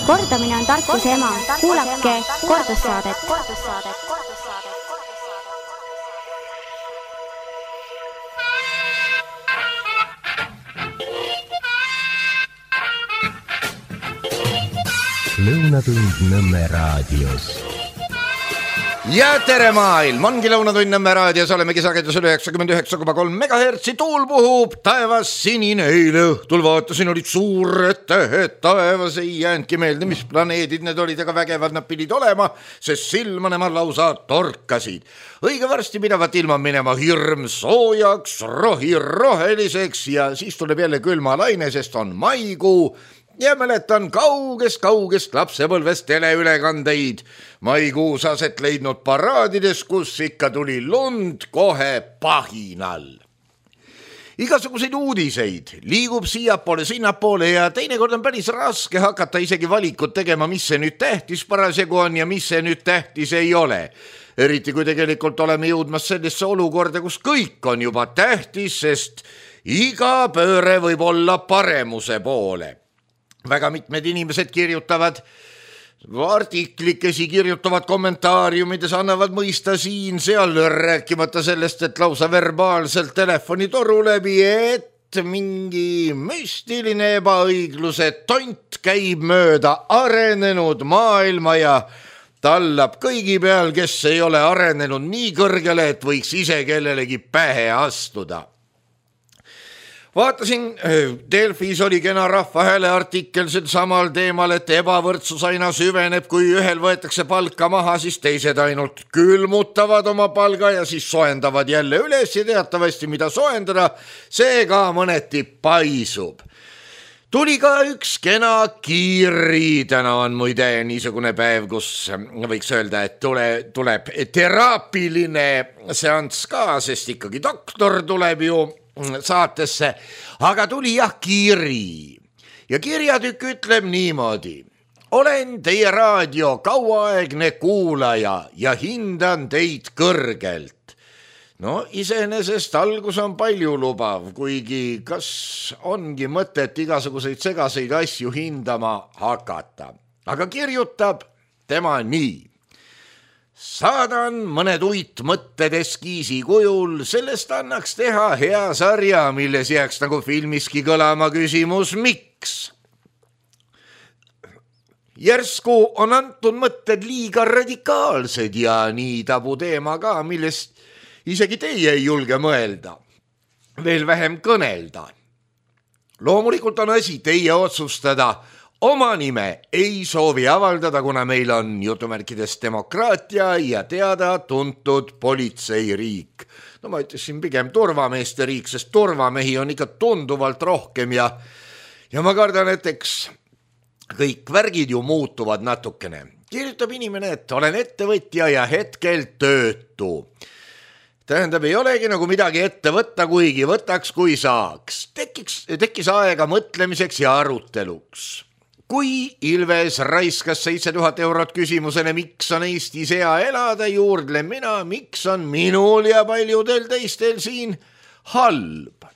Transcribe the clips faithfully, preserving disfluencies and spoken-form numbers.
Kordamine on tarkuse ema. Kuulake kordussaadet. Lõunatund Nõmme raadios. Ja tere maailm, ongi Lõunatund Nõmme raadios, olemegi sagedusel üheksakümmend üheksa koma kolm megahertsi, tuul puhub, taevas sinine, eile õhtul vaatasin, olid suured tähed, taevas ei jäänudki meelde, mis planeedid need olid, aga vägevad nad pidid olema, sest silma nemad lausa torkasid. Õige varsti pidavat ilma minema hirm soojaks, rohi roheliseks ja siis tuleb jälle külma laine, sest on maikuu. Ja mäletan kaugest-kaugest lapsepõlvest teleülekandeid maikuus aset leidnud paraadides, kus ikka tuli lund kohe pahinal. Igasuguseid uudiseid liigub siiapoole, sinnapoole ja teinekord on päris raske hakata isegi valikut tegema, mis see nüüd tähtis parasjagu on ja mis see nüüd tähtis ei ole. Eriti kui tegelikult oleme jõudmas sellesse olukorda, kus kõik on juba tähtis, sest iga pööre võib olla paremuse poole. Väga mitmed inimesed kirjutavad artiklikesi, kirjutavad kommentaariumides, annavad mõista siin, seal, rääkimata sellest, et lausa verbaalselt telefonitoru läbi, et mingi müstiline ebaõigluse tont käib mööda arenenud maailma ja tallab kõigi peal, kes ei ole arenenud nii kõrgele, et võiks ise kellelegi pähe astuda. Vaatasin, Delfis oli kena Rahvahääle artikkel sel samal teemal, et ebavõrdsus aina süveneb, kui ühel võetakse palka maha, siis teised ainult külmutavad oma palga ja siis soendavad jälle üles ja teatavasti mida soendada, see ka mõneti paisub. Tuli ka üks kena kiri, täna on muide niisugune päev, kus võiks öelda, et tule, tuleb teraapiline seanss ka, sest ikkagi doktor tuleb ju saatesse, aga tuli jah kiri ja kirjatükk ütleb niimoodi. Olen teie raadio kauaaegne kuulaja ja hindan teid kõrgelt. No iseenesest algus on palju lubav, kuigi kas ongi mõtet igasuguseid segaseid asju hindama hakata. Aga kirjutab tema nii. Saadan mõned uit mõtted eskiisi kujul, sellest annaks teha hea sarja, milles jääks nagu filmiski kõlama küsimus, miks? Järsku on antud mõtted liiga radikaalsed ja nii tabu teema ka, millest isegi teie ei julge mõelda, veel vähem kõnelda. Loomulikult on asi teie otsustada. Oma nime ei soovi avaldada, kuna meil on jutumärkides demokraatia ja teada tuntud politseiriik. No ma ütlesin pigem turvameeste riik, sest turvamehi on ikka tunduvalt rohkem ja, ja ma kardan, et eks kõik värgid ju muutuvad natukene. Kirjutab inimene, et olen ettevõtja ja hetkel töötu. Tähendab, ei olegi nagu midagi ette võtta, kuigi võtaks, kui saaks. Tekiks, tekkis aega mõtlemiseks ja aruteluks. Kui Ilves raiskas seitse tuhat eurot küsimusele, miks on Eestis hea elada, juurdlen mina, miks on minul ja paljudel teistel siin halb.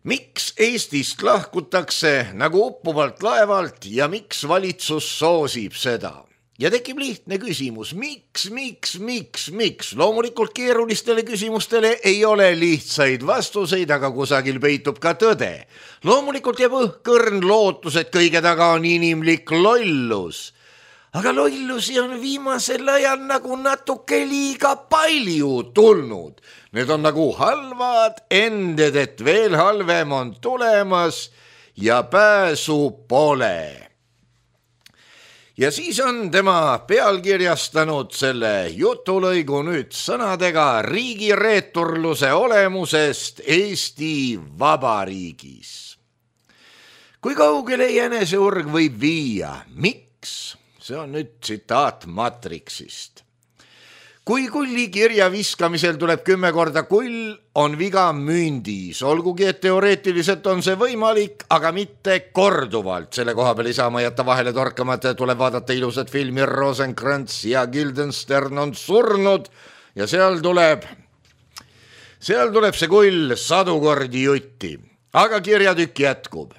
Miks Eestist lahkutakse nagu uppuvalt laevalt ja miks valitsus soosib seda? Ja tekib lihtne küsimus, miks, miks, miks, miks? Loomulikult keerulistele küsimustele ei ole lihtsaid vastuseid, aga kusagil peitub ka tõde. Loomulikult jääb õhkõrn lootus, et kõige taga on inimlik lollus. Aga lollusi on viimasel ajal nagu natuke liiga palju tulnud. Need on nagu halvad ended, et veel halvem on tulemas ja pääsu pole. Ja siis on tema pealkirjastanud selle jutulõigu nüüd sõnadega riigireeturluse olemusest Eesti Vabariigis. Kui kaugele jäneseurg võib viia? Miks? See on nüüd tsitaat Matrixist. Kui kulli kirja viskamisel tuleb kümme korda kull, on viga mündis. Olgugi, et teoreetiliselt on see võimalik, aga mitte korduvalt. Selle koha peal ei saa ma jätta vahele torkamata, tuleb vaadata ilusat filmi Rosenkrantz ja Guildenstern on surnud ja seal tuleb, seal tuleb see kull sadu kordi jutti. Aga kirjatükk jätkub.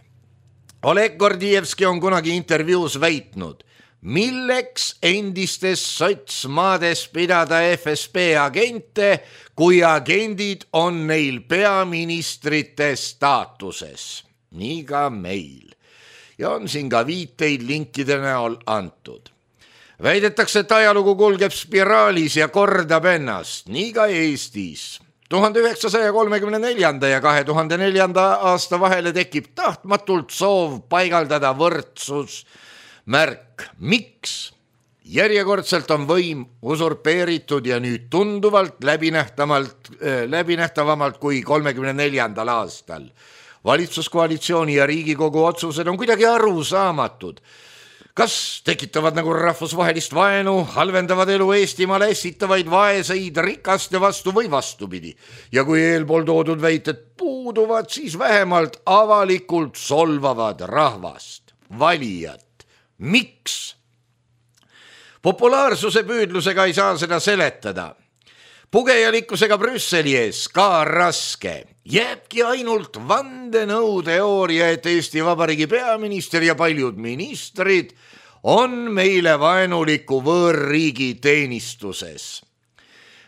Oleg Gordievski on kunagi intervjuus väitnud, milleks endistes sotsmaades pidada F S B agente, kui agendid on neil peaministrite staatuses. Nii ka meil. Ja on siin ka viiteid linkide näol antud. Väidetakse, et ajalugu kulgeb spiraalis ja kordab ennast, nii ka Eestis. tuhande üheksasaja kolmekümne neljanda ja kahe tuhande neljanda aasta vahele tekib tahtmatult soov paigaldada võrdsus märk. Miks? Järjekordselt on võim usurpeeritud ja nüüd tunduvalt läbinähtavamalt, läbinähtavamalt kui kolmekümne neljandal aastal. Valitsuskoalitsiooni ja Riigikogu otsused on kuidagi arusaamatud. Kas tekitavad nagu rahvusvahelist vaenu, halvendavad elu Eestimaale, esitavaid vaeseid rikaste vastu või vastupidi. Ja kui eelpool toodud väited puuduvad, siis vähemalt avalikult solvavad rahvast, valijat. Miks? Populaarsuse püüdlusega ei saa seda seletada. Pugejalikkusega Brüsseli ees ka raske. Jääbki ainult vandenõuteooria, et Eesti Vabariigi peaminister ja paljud ministrid on meile vaenuliku võõrriigi teenistuses.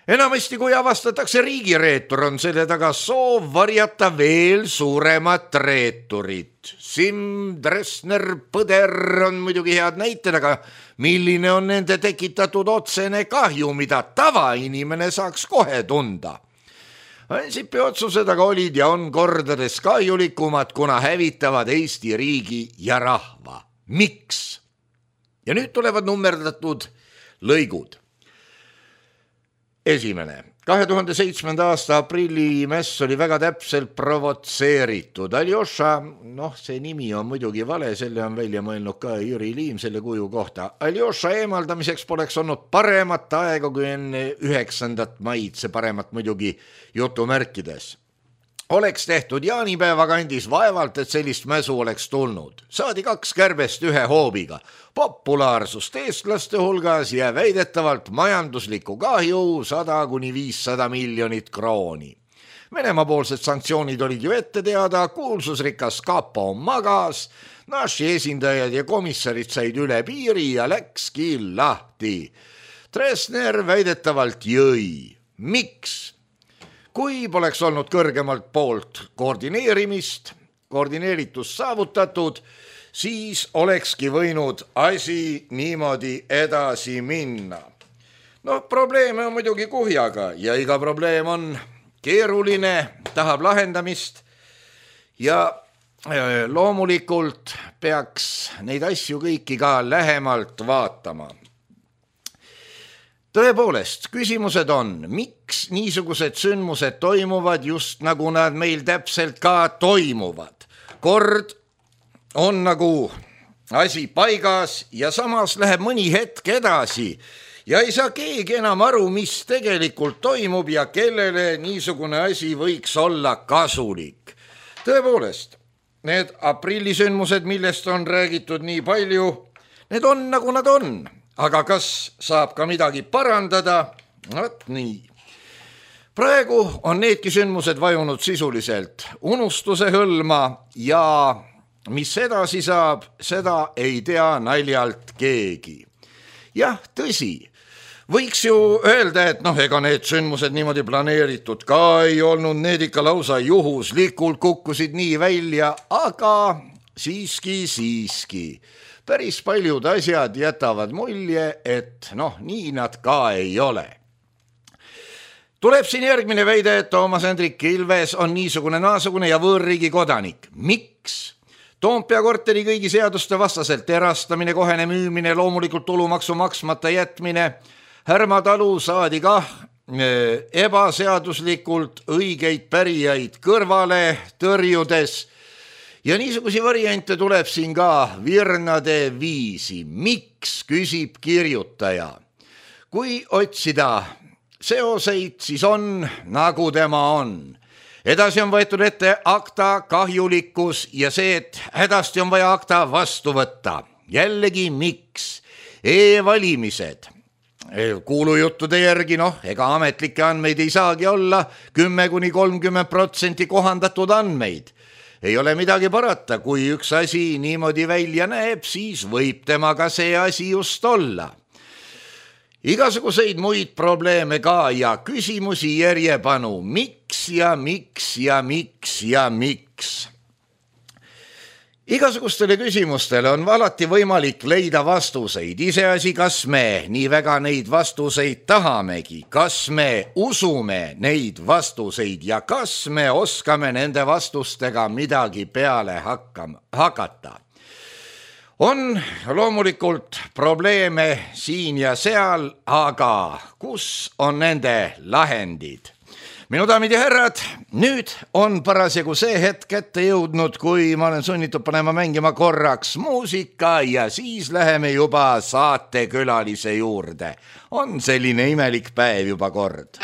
Enamasti, kui avastatakse riigireetur, on selle taga soov varjata veel suuremat reeturit. Simm, Dressner, Põder on muidugi head näited, aga milline on nende tekitatud otsene kahju, mida tavainimene saaks kohe tunda? Ansipi otsused aga olid ja on kordades kahjulikumad, kuna hävitavad Eesti riigi ja rahva. Miks? Ja nüüd tulevad nummerdatud lõigud. Esimene. kahe tuhande seitsmenda aasta aprilli mess oli väga täpselt provotseeritud. Aljoša, noh, see nimi on muidugi vale, selle on välja mõelnud ka Jüri Liim selle kuju kohta. Aljoša eemaldamiseks poleks olnud paremat aega kui enne üheksandat maid, see paremat muidugi jutumärkides. Oleks tehtud jaanipäeva kandis vaevalt, et sellist mäsu oleks tulnud. Saadi kaks kärbest ühe hoobiga. Populaarsust eestlaste hulgas ja väidetavalt majanduslikku kahju sada kuni viissada miljonit krooni. Venemaa-poolsed sanktsioonid olid ju ette teada, kuulsusrikas kapo magas, naši esindajad ja komissarid said üle piiri ja läkski lahti. Dressner väidetavalt jõi. Miks? Kui poleks olnud kõrgemalt poolt koordineerimist, koordineeritust saavutatud, siis olekski võinud asi niimoodi edasi minna. No probleeme on muidugi kuhjaga ja iga probleem on keeruline, tahab lahendamist ja loomulikult peaks neid asju kõiki ka lähemalt vaatama. Tõepoolest, küsimused on, miks niisugused sündmused toimuvad just nagu nad meil täpselt ka toimuvad. Kord on nagu asi paigas ja samas läheb mõni hetk edasi ja ei saa keegi enam aru, mis tegelikult toimub ja kellele niisugune asi võiks olla kasulik. Tõepoolest, need aprillisündmused, millest on räägitud nii palju, need on nagu nad on. Aga kas saab ka midagi parandada? Võt nii. Praegu on needki sündmused vajunud sisuliselt unustuse hõlma ja mis edasi saab, seda ei tea naljalt keegi. Jah, tõsi, võiks ju öelda, et noh, ega need sündmused niimoodi planeeritud ka ei olnud, need ikka lausa juhuslikult kukkusid nii välja, aga siiski, siiski. Päris paljud asjad jätavad mulje, et noh, nii nad ka ei ole. Tuleb siin järgmine väide, et Toomas Hendrik Ilves on niisugune naasugune ja võõrriigi kodanik. Miks? Toompea korteri kõigi seaduste vastaselt erastamine, kohene müümine, loomulikult tulumaksu maksmata jätmine. Härma talu saadi kah ebaseaduslikult õigeid pärijaid kõrvale tõrjudes. Ja niisugusi variante tuleb siin ka virnade viisi. Miks, küsib kirjutaja. Kui otsida seoseid, siis on, nagu tema on. Edasi on võetud ette akta kahjulikkus ja see, et hädasti on vaja akta vastu võtta. Jällegi miks? E-valimised. Kuulujuttude järgi, noh, ega ametlikke andmeid ei saagi olla, kümme kuni kolmkümmend protsenti kohandatud andmeid. ei ole midagi parata, kui üks asi niimoodi välja näeb, siis võib temaga see asi just olla. Igasuguseid muid probleeme ka ja küsimusi järjepanu, miks ja miks ja miks ja miks. Igasugustele küsimustele on alati võimalik leida vastuseid, iseasi, kas me nii väga neid vastuseid tahamegi, kas me usume neid vastuseid ja kas me oskame nende vastustega midagi peale hakkama, hakata. On loomulikult probleeme siin ja seal, aga kus on nende lahendid? Minu daamid ja härrad, nüüd on parasjagu see hetk ette jõudnud, kui ma olen sunnitud panema mängima korraks muusika ja siis läheme juba saatekülalise juurde. On selline imelik päev juba kord.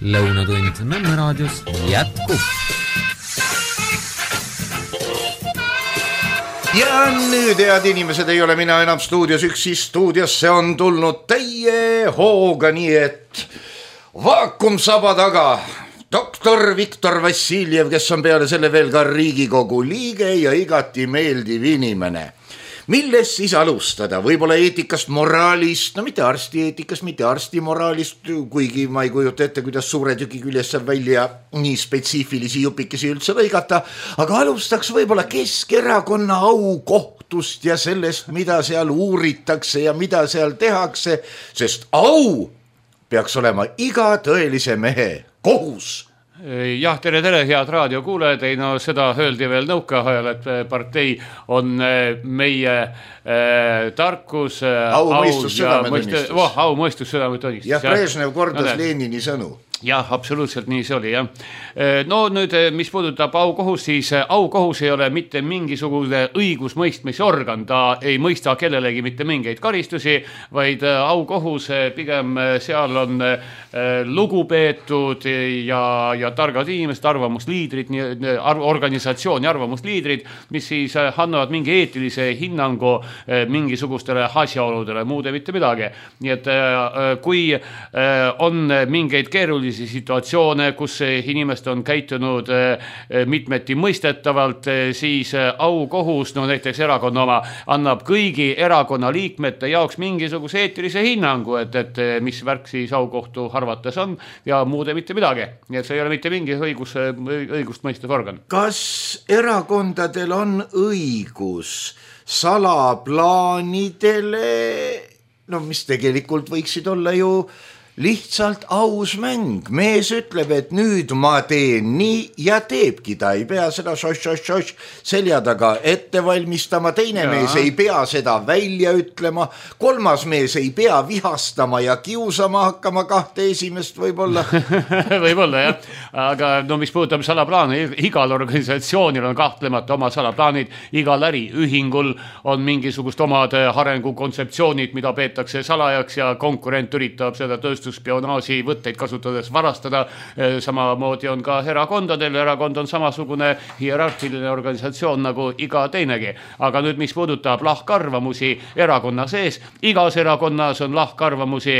Lõunatund Nõmme raadios jätkub. Ja nüüd, head inimesed, ei ole mina enam stuudios üksi, stuudiosse on tulnud teie hooga, nii et vaakumsaba taga doktor Viktor Vassiljev, kes on peale selle veel ka Riigikogu liige ja igati meeldiv inimene. Milles siis alustada? Võib-olla eetikast, moraalist, no mitte arsti eetikast, mitte arsti moraalist, kuigi ma ei kujuta ette, kuidas suure tüki küljes saab välja nii spetsiifilisi jupikesi üldse lõigata, aga alustaks võib-olla Keskerakonna aukohtust ja sellest, mida seal uuritakse ja mida seal tehakse, sest au peaks olema iga tõelise mehe kohus. Jah, tere, tere, head raadiokuulajad, ei no seda öeldi veel nõukaajal, et partei on meie äh, tarkus, au, au mõistus, südametunnistus. Oh, au mõistus, südametunnistus. Ja Brežnev kordas no, Lenini sõnu. jah, absoluutselt nii see oli, jah. No nüüd, mis puudutab aukohus, siis aukohus ei ole mitte mingisugune õigusmõistmise organ, ta ei mõista kellelegi mitte mingeid karistusi, vaid aukohus pigem seal on lugupeetud ja, ja targad inimesed, arvamusliidrid, organisatsiooni arvamusliidrid, mis siis annavad mingi eetilise hinnangu mingisugustele asjaoludele, muude mitte midagi. Nii et kui on mingeid keerulisi situatsioone, kus inimesed on käitunud mitmeti mõistetavalt, siis aukohus, no näiteks erakonna oma, annab kõigi erakonna liikmete jaoks mingisuguse eetilise hinnangu, et, et mis värk siis aukohtu arvates on ja muude mitte midagi. Nii et see ei ole mitte mingi õigus, õigust mõistev organ. Kas erakondadel on õigus salaplaanidele, no mis tegelikult võiksid olla ju lihtsalt aus mäng, mees ütleb, et nüüd ma teen nii ja teebki, ta ei pea seda šoš-šoš-šoš selja taga ette valmistama, teine ja. mees ei pea seda välja ütlema, kolmas mees ei pea vihastama ja kiusama hakkama kahte esimest võib-olla. Võib-olla jah, aga no mis puudutab salaplaane, igal organisatsioonil on kahtlemata oma salaplaanid, igal äriühingul on mingisugust omad arengukontseptsioonid, mida peetakse salajaks ja konkurent üritab seda tööst spionaaži võtteid kasutades varastada. Samamoodi on ka erakondadel, erakond on samasugune hierarhiline organisatsioon nagu iga teinegi. Aga nüüd, mis puudutab lahkarvamusi erakonna sees, igas erakonnas on lahkarvamusi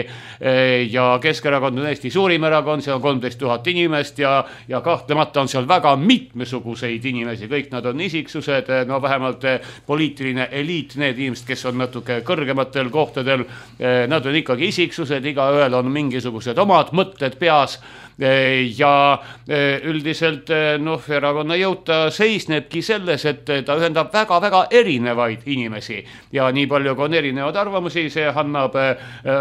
ja Keskerakond on Eesti suurim erakond, seal on kolmteist tuhat inimest ja, ja kahtlemata on seal väga mitmesuguseid inimesi, kõik nad on isiksused, no vähemalt poliitiline eliit, need inimesed, kes on natuke kõrgematel kohtadel, nad on ikkagi isiksused, iga ühel on mingisugused omad mõtted peas ja üldiselt noh, erakonna jõuta seisnebki selles, et ta ühendab väga-väga erinevaid inimesi ja nii palju kui on erinevad arvamusi, see annab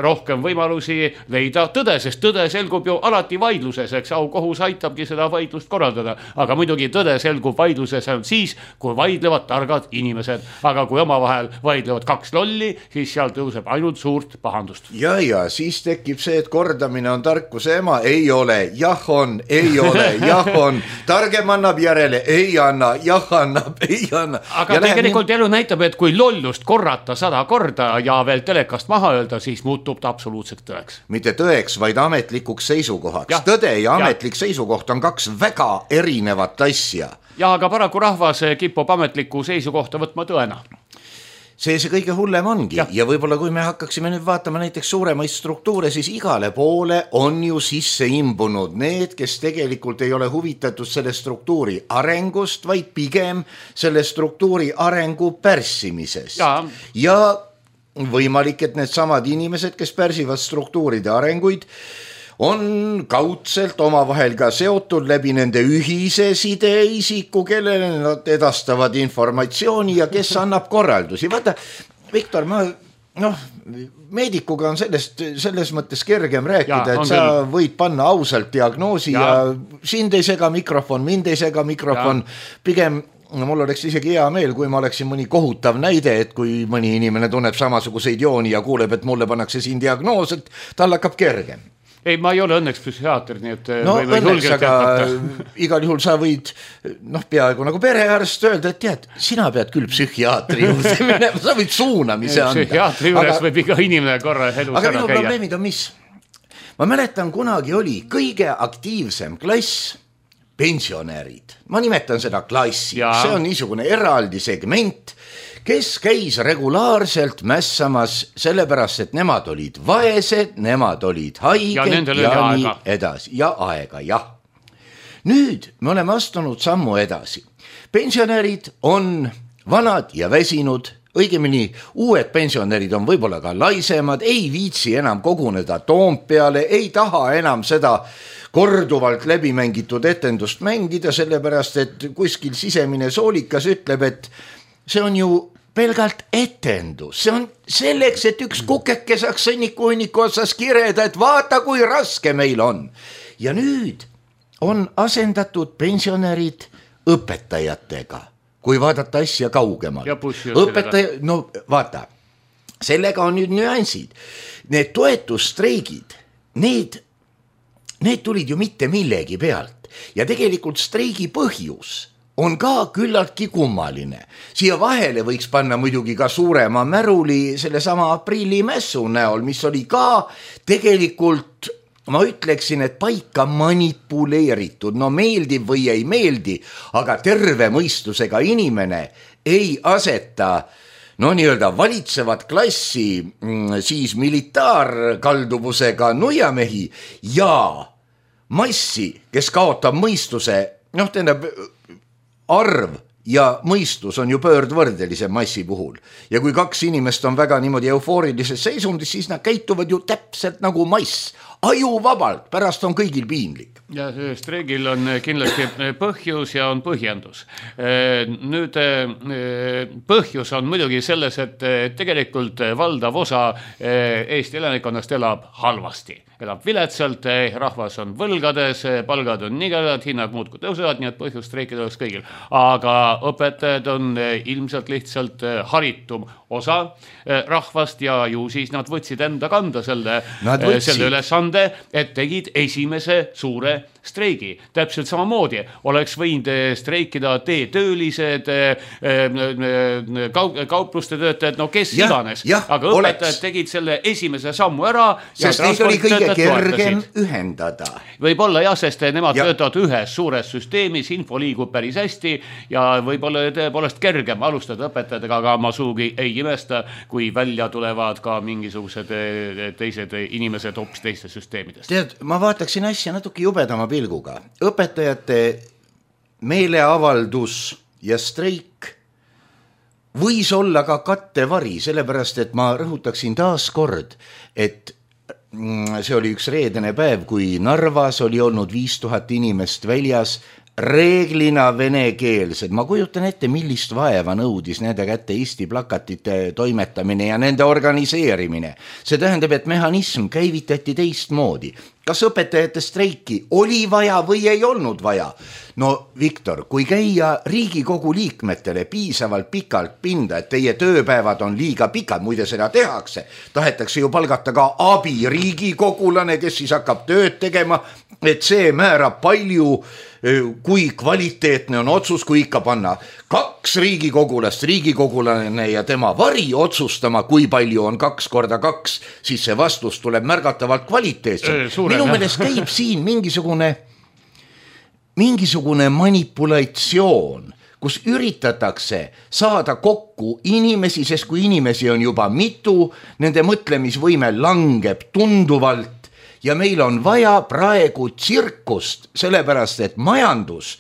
rohkem võimalusi leida tõde, sest tõde selgub ju alati vaidluses, eks aukohus aitabki seda vaidlust korraldada, aga muidugi tõde selgub vaidluses on siis, kui vaidlevad targad inimesed, aga kui omavahel vaidlevad kaks lolli, siis seal tõuseb ainult suurt pahandust. Ja, ja siis tekib see, et kordamine on tarkuse ema, ei ole, jah on, ei ole, jah on, targem annab järele, ei anna, jah annab, ei anna. Aga ja tegelikult läheb... elu näitab, et kui lollust korrata sada korda ja veel telekast maha öelda, siis muutub ta absoluutselt tõeks. Mitte tõeks, vaid ametlikuks seisukohaks. Ja. Tõde ja ametlik ja. seisukoht on kaks väga erinevat asja. Ja aga paraku rahvas kipub ametliku seisukohta võtma tõena. See see kõige hullem ongi ja, ja võib-olla kui me hakkaksime nüüd vaatama näiteks suuremaid struktuure, siis igale poole on ju sisse imbunud need, kes tegelikult ei ole huvitatud selle struktuuri arengust, vaid pigem selle struktuuri arengu pärssimisest. Ja, ja võimalik, et need samad inimesed, kes pärsivad struktuuride arenguid, on kaudselt omavahel ka seotud läbi nende ühise sideisiku, kellele nad edastavad informatsiooni ja kes annab korraldusi. Vaata, Viktor, ma, noh, meedikuga on sellest, selles mõttes kergem rääkida, ja, et sa küll. Võid panna ausalt diagnoosi ja, ja sind ei sega mikrofon, mind ei sega mikrofon, ja. Pigem no mul oleks isegi hea meel, kui ma oleksin mõni kohutav näide, et kui mõni inimene tunneb samasuguseid jooni ja kuuleb, et mulle pannakse siin diagnoos, et tal hakkab kergem. Ei, ma ei ole õnneks psühhiaater, nii et no, või, või õnneks, aga igal juhul sa võid noh, peaaegu nagu perearst öelda, et tead, sina pead küll psühhiaatri juurde minema, sa võid suunamise anda. Psühhiaatri juures aga, võib iga inimene korra elus aga ära minu käia. Probleemid on mis? Ma mäletan, kunagi oli kõige aktiivsem klass pensionärid. Ma nimetan seda klassi, ja. See on niisugune eraldi segment, kes käis regulaarselt mässamas sellepärast, et nemad olid vaesed, nemad olid haiged ja, ja nii aega. Edasi. Ja aega, jah. Nüüd me oleme astunud sammu edasi. Pensionärid on vanad ja väsinud, õigemini uued pensionärid on võib-olla ka laisemad, ei viitsi enam koguneda Toompeale, ei taha enam seda korduvalt läbimängitud etendust mängida, sellepärast, et kuskil sisemine soolikas ütleb, et see on ju pelgalt etendus, see on selleks, et üks kukeke saaks sõnniku hunniku otsas kireda, et vaata, kui raske meil on. Ja nüüd on asendatud pensionärid õpetajatega, kui vaadata asja kaugemal. Õpetaja, no vaata, sellega on nüüd nüansid. Need toetusstreigid, need need tulid ju mitte millegi pealt ja tegelikult streigi põhjus on ka küllaltki kummaline. Siia vahele võiks panna muidugi ka suurema märuli sellesama aprillimässu näol, mis oli ka tegelikult, ma ütleksin, et paika manipuleeritud, no meeldib või ei meeldi, aga terve mõistusega inimene ei aseta no nii-öelda valitsevat klassi siis militaarkalduvusega nuiamehi ja massi, kes kaotab mõistuse, noh tähendab arv ja mõistus on ju pöördvõrdelise massi puhul. Ja kui kaks inimest on väga niimoodi eufoorilises seisundis, siis nad käituvad ju täpselt nagu mass. Ajuvabalt, pärast on kõigil piinlik. Ja streigil on kindlasti põhjus ja on põhjendus. Nüüd põhjus on muidugi selles, et tegelikult valdav osa Eesti elanikkonnast elab halvasti. Elab viletsalt, rahvas on võlgades, palgad on nigelad, hinnad muudkui tõusevad, nii et põhjus streikida oleks kõigil. Aga õpetajad on ilmselt lihtsalt haritum osa rahvast ja ju siis nad võtsid enda kanda selle, selle ülesande, et tegid esimese suure streigi. Täpselt samamoodi oleks võinud streikida teetöölised, kaupluste töötajad, no kes ja, iganes. Ja, aga õpetajad oleks. Tegid selle esimese sammu ära. Sest neid oli kõige kergem ühendada. Võib-olla jah, sest nemad ja. Töötavad ühes suures süsteemis, info liigub päris hästi ja võib-olla tõepoolest kergem alustada õpetajatega, aga ma suugi ei imesta, kui välja tulevad ka mingisugused teised inimesed hoopis teistes süsteemidest. Tead, ma vaataksin asja natuke jubedama pilguga. Õpetajate meeleavaldus ja streik võis olla ka kattevari, sellepärast et ma rõhutaksin taas kord, et see oli üks reedene päev, kui Narvas oli olnud viis tuhat inimest väljas, reeglina venekeelsed. Ma kujutan ette, millist vaeva nõudis nende kätte Eesti plakatite toimetamine ja nende organiseerimine. See tähendab, et mehhanism käivitati teistmoodi. Kas õpetajate streiki oli vaja või ei olnud vaja? No Viktor, kui käia Riigikogu liikmetele piisavalt pikalt pinda, et teie tööpäevad on liiga pikad, muide seda tehakse, tahetakse ju palgata ka abi riigikogulane, kes siis hakkab tööd tegema, et see määrab palju, kui kvaliteetne on otsus, kui ikka panna kaks riigikogulast, riigikogulane ja tema vari otsustama, kui palju on kaks korda kaks, siis see vastus tuleb märgatavalt kvaliteetsem. Minu meelest käib siin mingisugune, mingisugune manipulatsioon, kus üritatakse saada kokku inimesi, sest kui inimesi on juba mitu, nende mõtlemisvõime langeb tunduvalt ja meil on vaja praegu tsirkust, sellepärast et majandus,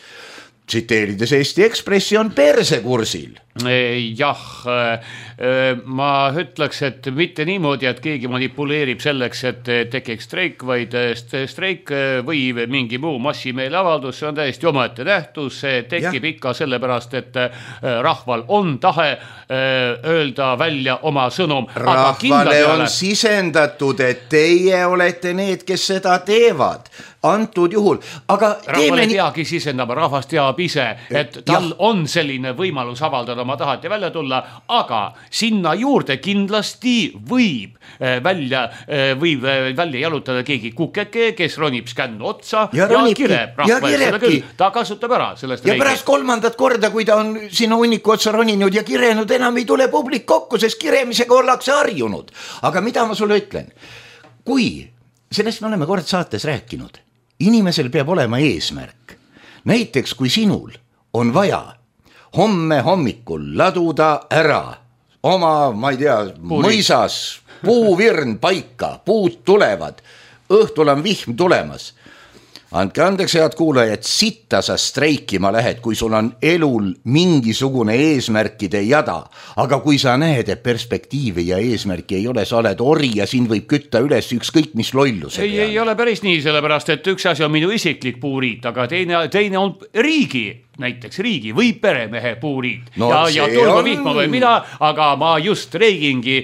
tsiteerides Eesti Ekspressi, on persekursil. Jah, ma ütleks, et mitte niimoodi, et keegi manipuleerib selleks, et tekiks streik, vaid streik või mingi muu massimeeleavaldus, see on täiesti omaette nähtus, see tekib ja. Ikka sellepärast, et rahval on tahe öelda välja oma sõnum. Rahvale on sisendatud, et teie olete need, kes seda teevad. Antud juhul, aga rahval ei peagi sisendama, rahvas teab ise, et tal ja. On selline võimalus avaldada oma tahat ja välja tulla, aga sinna juurde kindlasti võib välja, võib välja jalutada keegi kukeke, kes ronib skännu otsa ja, ja kireb rahva ja küll. Ta kasutab ära sellest. Ja pärast kolmandat korda, kui ta on sinna hunniku otsa roninud ja kirenud, enam ei tule publik kokku, sest kiremisega ollakse harjunud. Aga mida ma sulle ütlen? Kui, sellest me oleme kord saates rääkinud, inimesel peab olema eesmärk. Näiteks kui sinul on vaja homme hommikul laduda ära oma, ma ei tea, Puuri. Mõisas, puuvirn paika, puud tulevad, õhtul on vihm tulemas. Andke andeks, head kuulajad, sitta sa streikima lähed, kui sul on elul mingisugune eesmärkide jada. Aga kui sa näed, et perspektiivi ja eesmärki ei ole, sa oled ori ja sind võib kütta üles ükskõik mis lolluse. Ei, ei ole päris nii, sellepärast, et üks asi on minu isiklik puuriit, aga teine, teine on riigi. Näiteks riigi või peremehe puuriid no, ja, ja tulgu on... vihma või mida, aga ma just reigingi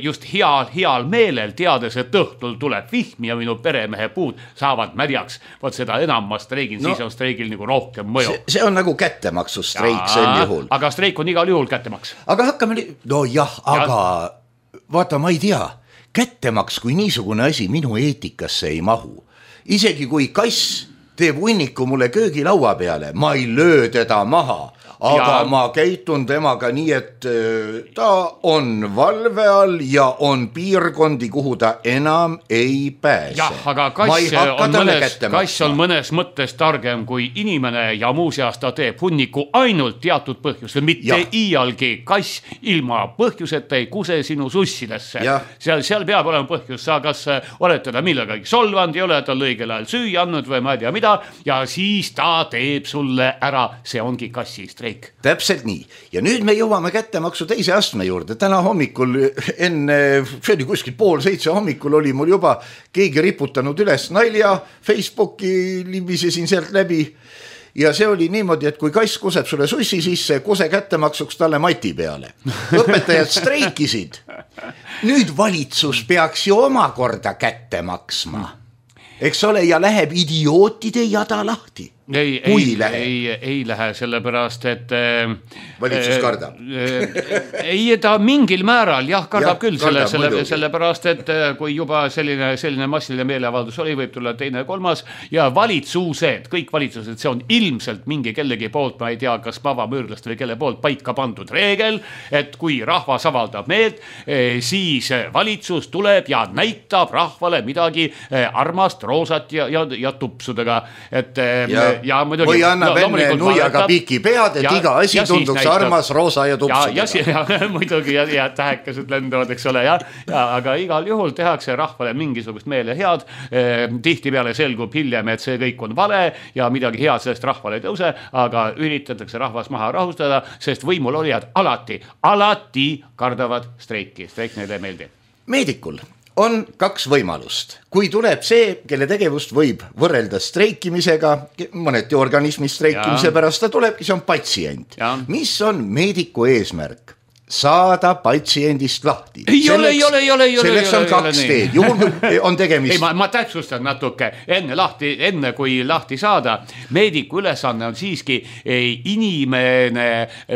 just heal, heal meelel teades, et õhtul tuleb vihm ja minu peremehe puud saavad märjaks. Vaat seda enam ma streigin, no, siis on streigil nagu rohkem mõju. See, see on nagu kättemaksu streik ja, sel juhul. Aga streik on igal juhul kättemaks. Aga hakkame, no jah, aga ja. Vaata, ma ei tea, kättemaks kui niisugune asi minu eetikasse ei mahu. isegi kui kass teeb hunniku mulle köögilaua peale, ma ei löö teda maha, aga ja. ma käitun temaga nii, et ta on valve all ja on piirkondi, kuhu ta enam ei pääse. jah, aga kass on, mõnes, kass on mõnes mõttes targem kui inimene ja muuseas ta teeb hunniku ainult teatud põhjusel, mitte ja. iialgi kass ilma põhjuseta ei kuse sinu sussidesse. Seal, seal peab olema põhjus, sa kas oled teda millegagi solvanud, ei ole tal õigel ajal süüa andnud või ma ei tea mida ja siis ta teeb sulle ära, see ongi kassist. Täpselt nii. Ja nüüd me jõuame kättemaksu teise astme juurde. Täna hommikul enne, see oli kuskil pool seitse hommikul oli mul juba keegi riputanud üles nalja, Facebooki libisesin sealt läbi ja see oli niimoodi, et kui kass kuseb sulle sussi sisse, kuse kättemaksuks talle mati peale. Õpetajad streikisid. Nüüd valitsus peaks ju omakorda kätte maksma. Eks ole, ja läheb idiootide jada lahti. Ei, ei, ei, ei lähe sellepärast, et valitsus kardab. ei, ta mingil määral jah, kardab ja, küll kardab, selle, selle, sellepärast, et kui juba selline, selline massiline meeleavaldus oli, võib tulla teine kolmas ja valitsused, kõik valitsused, see on ilmselt mingi kellegi poolt, ma ei tea, kas pavamüürlast või kelle poolt paika pandud reegel, et kui rahvas avaldab meelt, siis valitsus tuleb ja näitab rahvale midagi armast, roosat ja, ja, ja tupsudega, et ja. Ja, muidugi, või annab no, enne nuiaga piki pead, et ja, iga asi ja tunduks armas, roosa ja tupsudega. Ja, ja, ja muidugi ja, ja tähekesed lendavad, eks ole, ja, ja, aga igal juhul tehakse rahvale mingisugust meele head. Eh, tihti peale selgub hiljem, et see kõik on vale ja midagi head sellest rahvale ei tõuse, aga üritatakse rahvas maha rahustada, sest võimul olijad alati, alati kardavad streiki. Streik neile ei meeldi. Meedikul on kaks võimalust. Kui tuleb see, kelle tegevust võib võrrelda streikimisega, mõneti organismi streikimise ja. pärast, ta tulebki, see on patsient. Ja. Mis on meediku eesmärk? Saada patsiendist lahti. Ei selleks, ole, ei ole, ei ole, ei ole. Selleks on kaks teed. Juhul on tegemist. Ei, ma, ma täpsustan natuke. Enne, lahti, enne kui lahti saada, meediku ülesanne on siiski inimene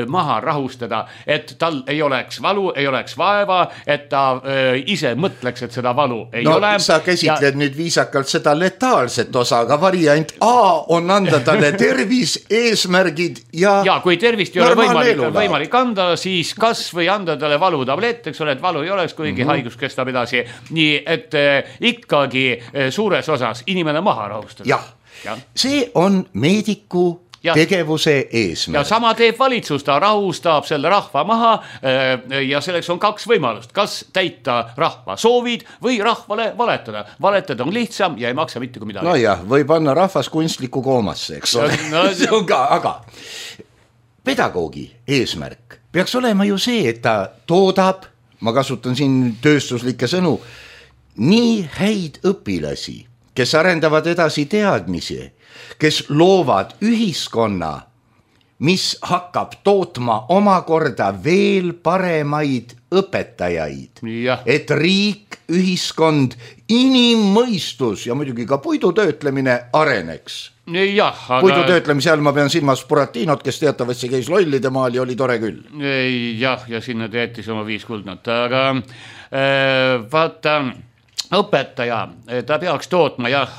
maha rahustada, et tal ei oleks valu, ei oleks vaeva, et ta äh, ise mõtleks, et seda valu ei no, ole. Sa käsitled ja... nüüd viisakalt seda letaalset osa, aga variant A on anda talle tervis, eesmärgid ja ja kui tervist ei ole võimalik, võimalik anda, siis kas või anda talle valutablett, eks ole, et valu ei oleks, kuigi mm-hmm. haigus kestab edasi. Nii, et eh, ikkagi eh, suures osas inimene maha rahustada. Jah, ja. See on meediku ja. tegevuse eesmärk. Ja sama teeb valitsus, ta rahustab selle rahva maha eh, ja selleks on kaks võimalust. Kas täita rahva soovid või rahvale valetada. Valetada on lihtsam ja ei maksa mitte kui midagi. No jah, või panna rahvas kunstliku koomasse, eks ole. No, see on ka, aga pedagoogi eesmärk peaks olema ju see, et ta toodab, ma kasutan siin tööstuslikke sõnu, nii häid õpilasi, kes arendavad edasi teadmisi, kes loovad ühiskonna, mis hakkab tootma omakorda veel paremaid õpetajaid, ja. et riik, ühiskond, inimmõistus ja muidugi ka puidutöötlemine areneks. Jah, aga... puidutöötlemise all ma pean silmas Buratinot, kes teatavasti käis lollide maal ja oli tore küll. Jah, ja sinna teetis oma viis kuldnat, aga äh, vaata... õpetaja, ta peaks tootma, jah,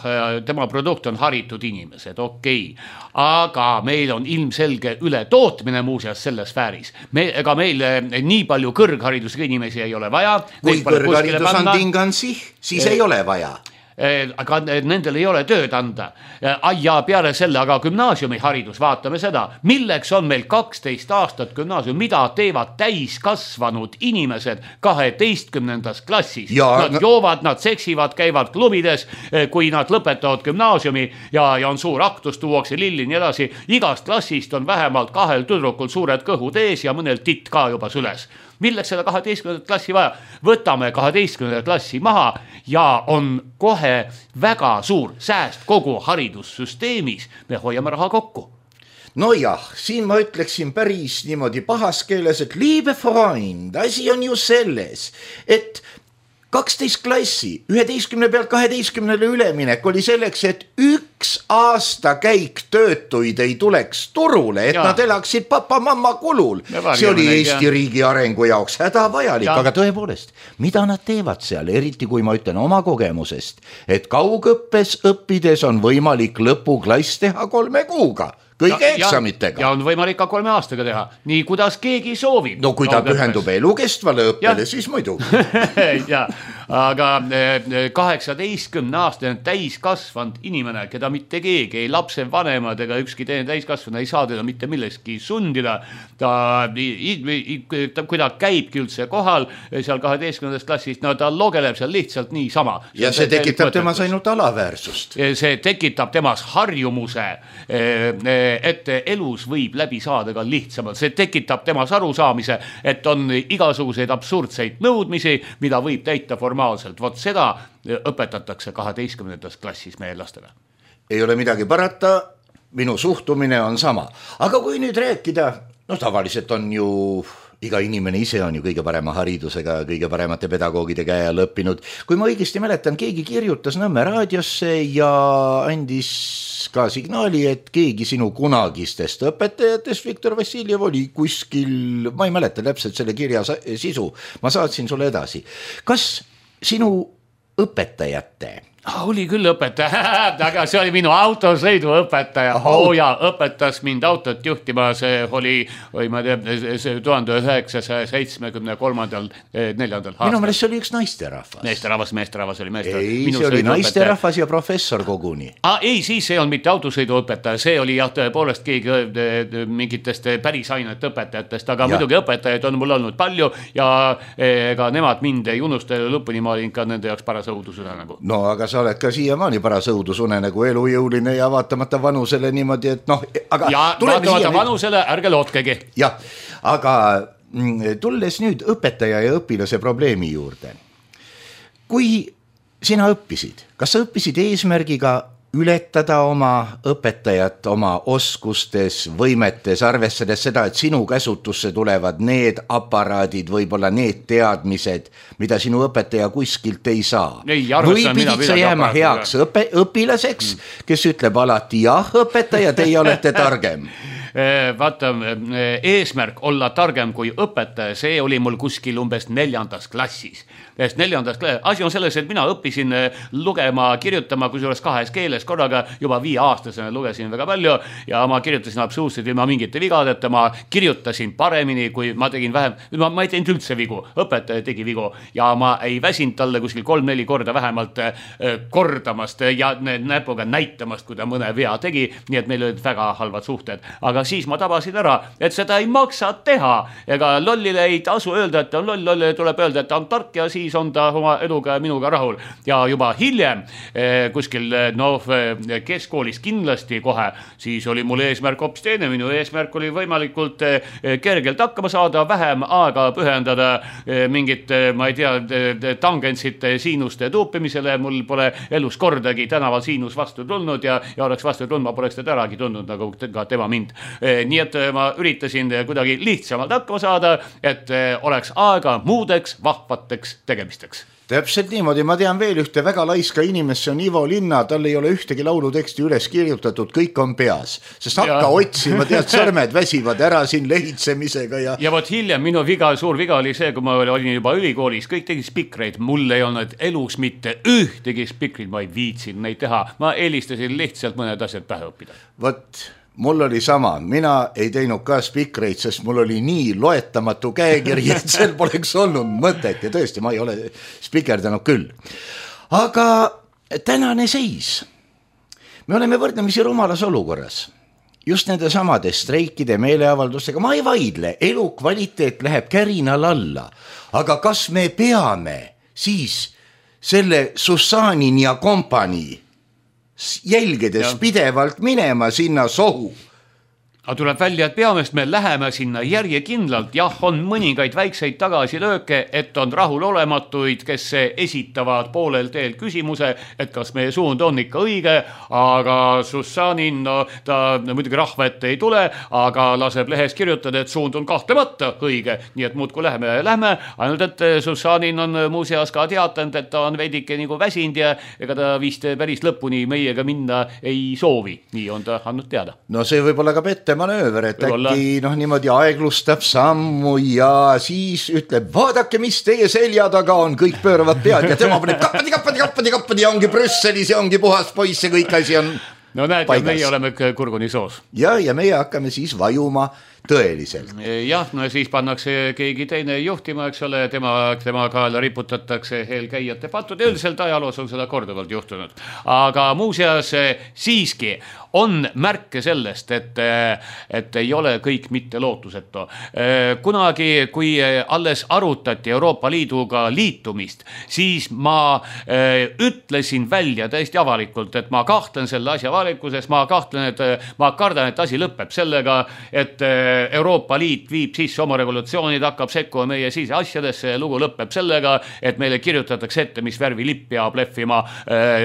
tema produkt on haritud inimesed, okei, okay. aga meil on ilmselge üle tootmine muuseas selles sfääris. Me, ega meil nii palju kõrgharidusega inimesi ei ole vaja. Kui kõrgharidus on tingansi, siis e ei ole vaja. Aga nendel ei ole tööd anda. Ja peale selle, aga gümnaasiumiharidus, vaatame seda, milleks on meil kaksteist aastat gümnaasium, mida teevad täiskasvanud inimesed kaheteistkümnendas klassis. Ja, nad no... joovad, nad seksivad, käivad klubides, kui nad lõpetavad gümnaasiumi ja, ja on suur aktus, tuuakse lilli nii edasi. Igast klassist on vähemalt kahel tüdrukul suured kõhud ees ja mõnel titt ka juba süles. Milleks seda kaheteistkümnendat klassi vaja? Võtame kaheteistkümnendat klassi maha ja on kohe väga suur sääst kogu haridussüsteemis. Me hoiame raha kokku. No jah, siin ma ütleksin päris niimoodi pahas keeles, et liebe Freund, asi on ju selles, et kaksteist klassi, üheteistkümne pealt kaheteistkümnele üleminek oli selleks, et üks aasta käik töötuid ei tuleks turule, et ja. Nad elaksid papa-mamma kulul. See oli Eesti ja. Riigi arengu jaoks hädavajalik, aga tõepoolest, mida nad teevad seal, eriti kui ma ütlen oma kogemusest, et kaugõppes õppides on võimalik lõpuklass teha kolme kuuga. Kõige ja, eksamitega. Ja on võimalik ka kolme aastaga teha, nii kuidas keegi soovib. No kui ta pühendub elukestvale õppele, siis muidu. ja, aga kaheksateistkümne aastane täiskasvanud inimene, keda mitte keegi, ei lapse vanemad ega ükski teine täiskasvanud ei saa teda mitte milleski sundida. Ta, ta, kui ta käibki üldse kohal seal kaheteistkümnendast klassist, no ta logeleb seal lihtsalt nii sama. Ja see, see tekitab temas ainult alaväärsust. See tekitab temas harjumuse et elus võib läbi saada ka lihtsamalt. See tekitab temas arusaamise, et on igasuguseid absurdseid nõudmisi, mida võib täita formaalselt. Vot seda õpetatakse kaheteistkümnendas klassis meie lastele. Ei ole midagi parata, minu suhtumine on sama. Aga kui nüüd rääkida, no tavaliselt on ju... Iga inimene ise on ju kõige parema haridusega, kõige paremate pedagoogide käe all õppinud. Kui ma õigesti mäletan, keegi kirjutas Nõmme raadiosse ja andis ka signaali, et keegi sinu kunagistest õpetajatest, Viktor Vassiljev, oli kuskil, ma ei mäleta täpselt selle kirja sisu, ma saatsin sulle edasi. Kas sinu õpetajate... Oh, oli küll õpetaja, aga see oli minu autosõidu õpetaja. Oh ja, õpetas mind autot juhtima, see oli, või ma tean, see tuhande üheksasaja seitsmekümne kolmandal neljandal aastal. Minu meelest see oli üks naisterahvas. Naisterahvas, meesterahvas oli meesterahvas. Ei, see oli naisterahvas ja professor koguni. Ah, ei, siis see on mitte autosõidu õpetaja, see oli jah, tõepoolest keegi mingitest päris ainete õpetajatest, aga ja. Muidugi õpetajaid on mul olnud palju ja ega nemad mind ei unusta lõpuni, ma olin ka nende jaoks paras õudusune nagu. No, aga sa oled ka siiamaani paras õudusune nagu elujõuline ja vaatamata vanusele niimoodi, et noh, aga... Ja vaatamata vanusele ärge lootkegi. Jah, aga tulles nüüd õpetaja ja õpilase probleemi juurde. Kui sina õppisid, kas sa õppisid eesmärgiga ületada oma õpetajat oma oskustes, võimetes, arvestades seda, et sinu käsutusse tulevad need aparaadid, võib-olla need teadmised, mida sinu õpetaja kuskilt ei saa. Ei, arvestan, või pidid sa jääma heaks õpe, õpilaseks, kes ütleb alati jah, õpetaja, teie olete targem. Vaata, eesmärk olla targem kui õpetaja, see oli mul kuskil umbes neljandas klassis. Neljandas klassis. Asi on selles, et mina õppisin lugema, kirjutama, kui suures kahes keeles korraga, juba viie aastasena lugesin väga palju ja ma kirjutasin absoluutselt ilma mingite vigadeta, ma kirjutasin paremini, kui ma tegin vähem, ma, ma ei teinud üldse vigu, õpetaja tegi vigu ja ma ei väsinud talle kuskil kolm-neli korda vähemalt kordamast ja näpuga näitamast, kui ta mõne vea tegi, nii et meil olid väga halvad suhted, aga siis ma tabasin ära, et seda ei maksa teha, ega lollile ei tasu öelda, et on loll, lollile tuleb öelda, et ta on tark ja siis on ta oma eluga ja minuga rahul. Ja juba hiljem kuskil no, keskkoolis kindlasti kohe, siis oli mul eesmärk hoopis teine, minu eesmärk oli võimalikult kergelt hakkama saada, vähem aega pühendada mingit, ma ei tea, tangentsite siinuste tuupimisele, mul pole elus kordagi tänaval siinus vastu tulnud ja, ja oleks vastu tulnud, ma poleks teda äragi tundnud, nagu ka tema mind. Nii et ma üritasin kuidagi lihtsamalt hakkama saada, et oleks aega muudeks vahvateks tegemisteks. Täpselt niimoodi, ma tean veel ühte väga laiska inimest, see on Ivo Linna, tal ei ole ühtegi lauluteksti üles kirjutatud, kõik on peas, sest hakka ja. Otsima, tead, sõrmed väsivad ära siin lehitsemisega ja... Ja vot hiljem minu viga, suur viga oli see, kui ma olin juba ülikoolis, kõik tegi spikreid, mul ei olnud elus mitte ühtegi spikreid, ma ei viitsin neid teha, ma eelistasin lihtsalt mõned asjad pähe õppida. Vot... Mul oli sama, mina ei teinud ka spikreid, sest mul oli nii loetamatu käekiri, et seal poleks olnud mõtet ja tõesti, ma ei ole spikerdanud küll. Aga tänane seis. Me oleme võrdlemisi rumalas olukorras. Just nende samade streikide meeleavaldustega, ma ei vaidle, elu kvaliteet läheb kärinal alla. Aga kas me peame siis selle Sussanin ja kompanii jälgedes ja. Pidevalt minema sinna sohu. Aga tuleb välja, et peamest me läheme sinna järjekindlalt. Jah, on mõningaid väikseid tagasilööke, et on rahulolematuid, kes esitavad poolel teel küsimuse, et kas meie suund on ikka õige, aga Sussanin, no, ta muidugi rahva ette ei tule, aga laseb lehes kirjutada, et suund on kahtlemata õige. Nii et muud kui läheme ja lähme, ainult et Sussanin on muuseas ka teatanud, et ta on veidike nagu väsind ja ega ta vist päris lõpuni meiega minna ei soovi. Nii on ta andnud teada. No see võib olla ka pette manööver, et äkki noh, niimoodi aeglustab sammu ja siis ütleb, vaadake, mis teie selja taga on, kõik pööravad pead ja tema paneb kappadi, kappadi, kappadi, kappadi ja ongi Brüsselis ja ongi puhas poiss ja kõik asi on no näed, ja meie oleme kurguni soos. Ja, ja meie hakkame siis vajuma tõeliselt. Jah, no siis pannakse keegi teine juhtima, eks ole, tema, tema kaela riputatakse eelkäijate patud. Üldiselt ajaloos on seda korduvalt juhtunud. Aga muuseas siiski on märke sellest, et, et ei ole kõik mitte lootusetu. Kunagi, kui alles arutati Euroopa Liiduga liitumist, siis ma ütlesin välja täiesti avalikult, et ma kahtlen selle asja avalikuses, ma kahtlen, et ma kardan, et asi lõpeb sellega, et Euroopa Liit viib sisse oma revolutsioonid, hakkab sekkuma meie siis asjadesse ja lugu lõpeb sellega, et meile kirjutatakse ette, mis värvi lipp peab lehvima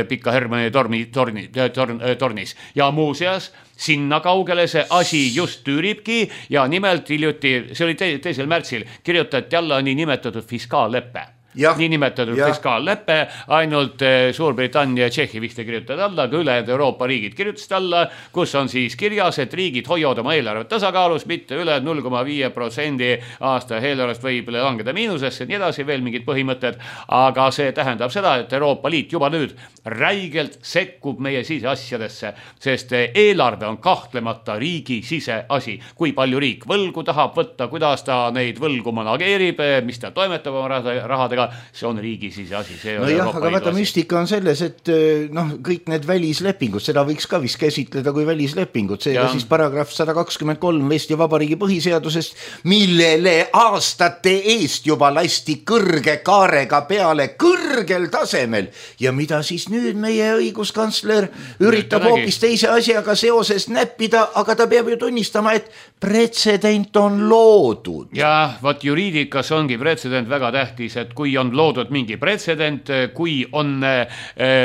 Pika Hermanni torni, torni, torn, tornis. Ja muuseas, sinna kaugele see asi just tüüribki ja nimelt hiljuti, see oli te, teisel märtsil, kirjutati alla nii nimetatud fiskaalleppe. Ja, nii nimetatud ja. Fiskaalleppe, ainult Suurbritannia ja Tšehhi vist kirjutavad alla, aga ülejäänud Euroopa riigid kirjutasid alla, kus on siis kirjas, et riigid hoiavad oma eelarvet tasakaalus, mitte üle null koma viis protsenti aasta eelarvest võib langeda miinusesse, nii edasi, veel mingid põhimõtted, aga see tähendab seda, et Euroopa Liit juba nüüd räigelt sekkub meie siseasjadesse, sest eelarve on kahtlemata riigi siseasi, kui palju riik võlgu tahab võtta, kuidas ta neid võlgu manageerib, mis ta toimetab oma rahadega, see on riigi siis asi. See on no jah, aga vaata müstika on selles, et noh, kõik need välislepingud, seda võiks ka vist käsitleda kui välislepingud, seega siis paragrahv sada kakskümmend kolm Eesti Vabariigi põhiseadusest, millele aastate eest juba lasti kõrge kaarega peale kõrgel tasemel ja mida siis nüüd meie õiguskantsler üritab hoopis teise asjaga seoses näppida, aga ta peab ju tunnistama, et pretsedent on loodud. Ja vaat juriidikas ongi pretsedent väga tähtis, et kui on loodud mingi pretsedent, kui on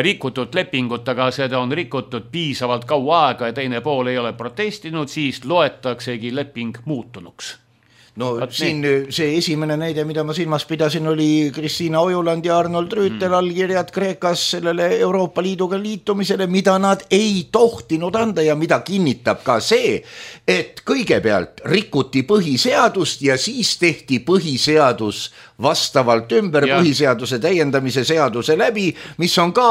rikutud lepingut, aga seda on rikutud piisavalt kaua aega ja teine pool ei ole protestinud, siis loetaksegi leping muutunuks. No Vat siin nii. See esimene näide, mida ma silmas pidasin, oli Kristiina Ojuland ja Arnold Rüütel mm. allkirjad Kreekas sellele Euroopa Liiduga liitumisele, mida nad ei tohtinud anda ja mida kinnitab ka see, et kõigepealt rikuti põhiseadust ja siis tehti põhiseadus vastavalt ümber ja. Põhiseaduse täiendamise seaduse läbi, mis on ka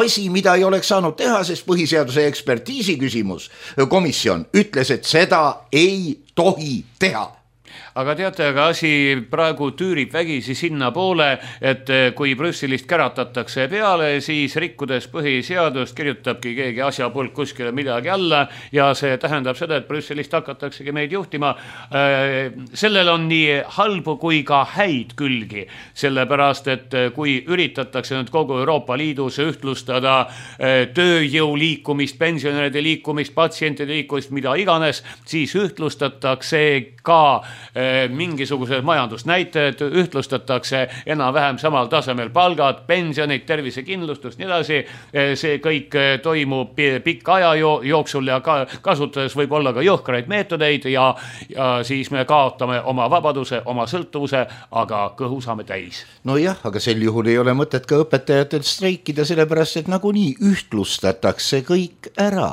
asi, mida ei oleks saanud teha, sest põhiseaduse ekspertiisi küsimus, komisjon ütles, et seda ei tohi teha. Aga teate, aga asi praegu tüürib vägisi sinna poole, et kui Brüsselist käratatakse peale, siis rikkudes põhiseadust kirjutabki keegi asjapulk kuskile midagi alla ja see tähendab seda, et Brüsselist hakataksegi meid juhtima. Sellel on nii halbu kui ka häid külgi, sellepärast, et kui üritatakse nüüd kogu Euroopa Liidus ühtlustada tööjõu liikumist, pensionäride liikumist, patsientide liikumist, mida iganes, siis ühtlustatakse ka mingisugused majandusnäitajad, ühtlustatakse enam-vähem samal tasemel palgad, pensionid, tervisekindlustus, nii edasi. See kõik toimub pikka aja jooksul ja kasutades võib olla ka jõhkraid meetodeid ja, ja siis me kaotame oma vabaduse, oma sõltuvuse, aga kõhu saame täis. No jah, aga sel juhul ei ole mõtet ka õpetajatel streikida, sellepärast et nagunii ühtlustatakse kõik ära.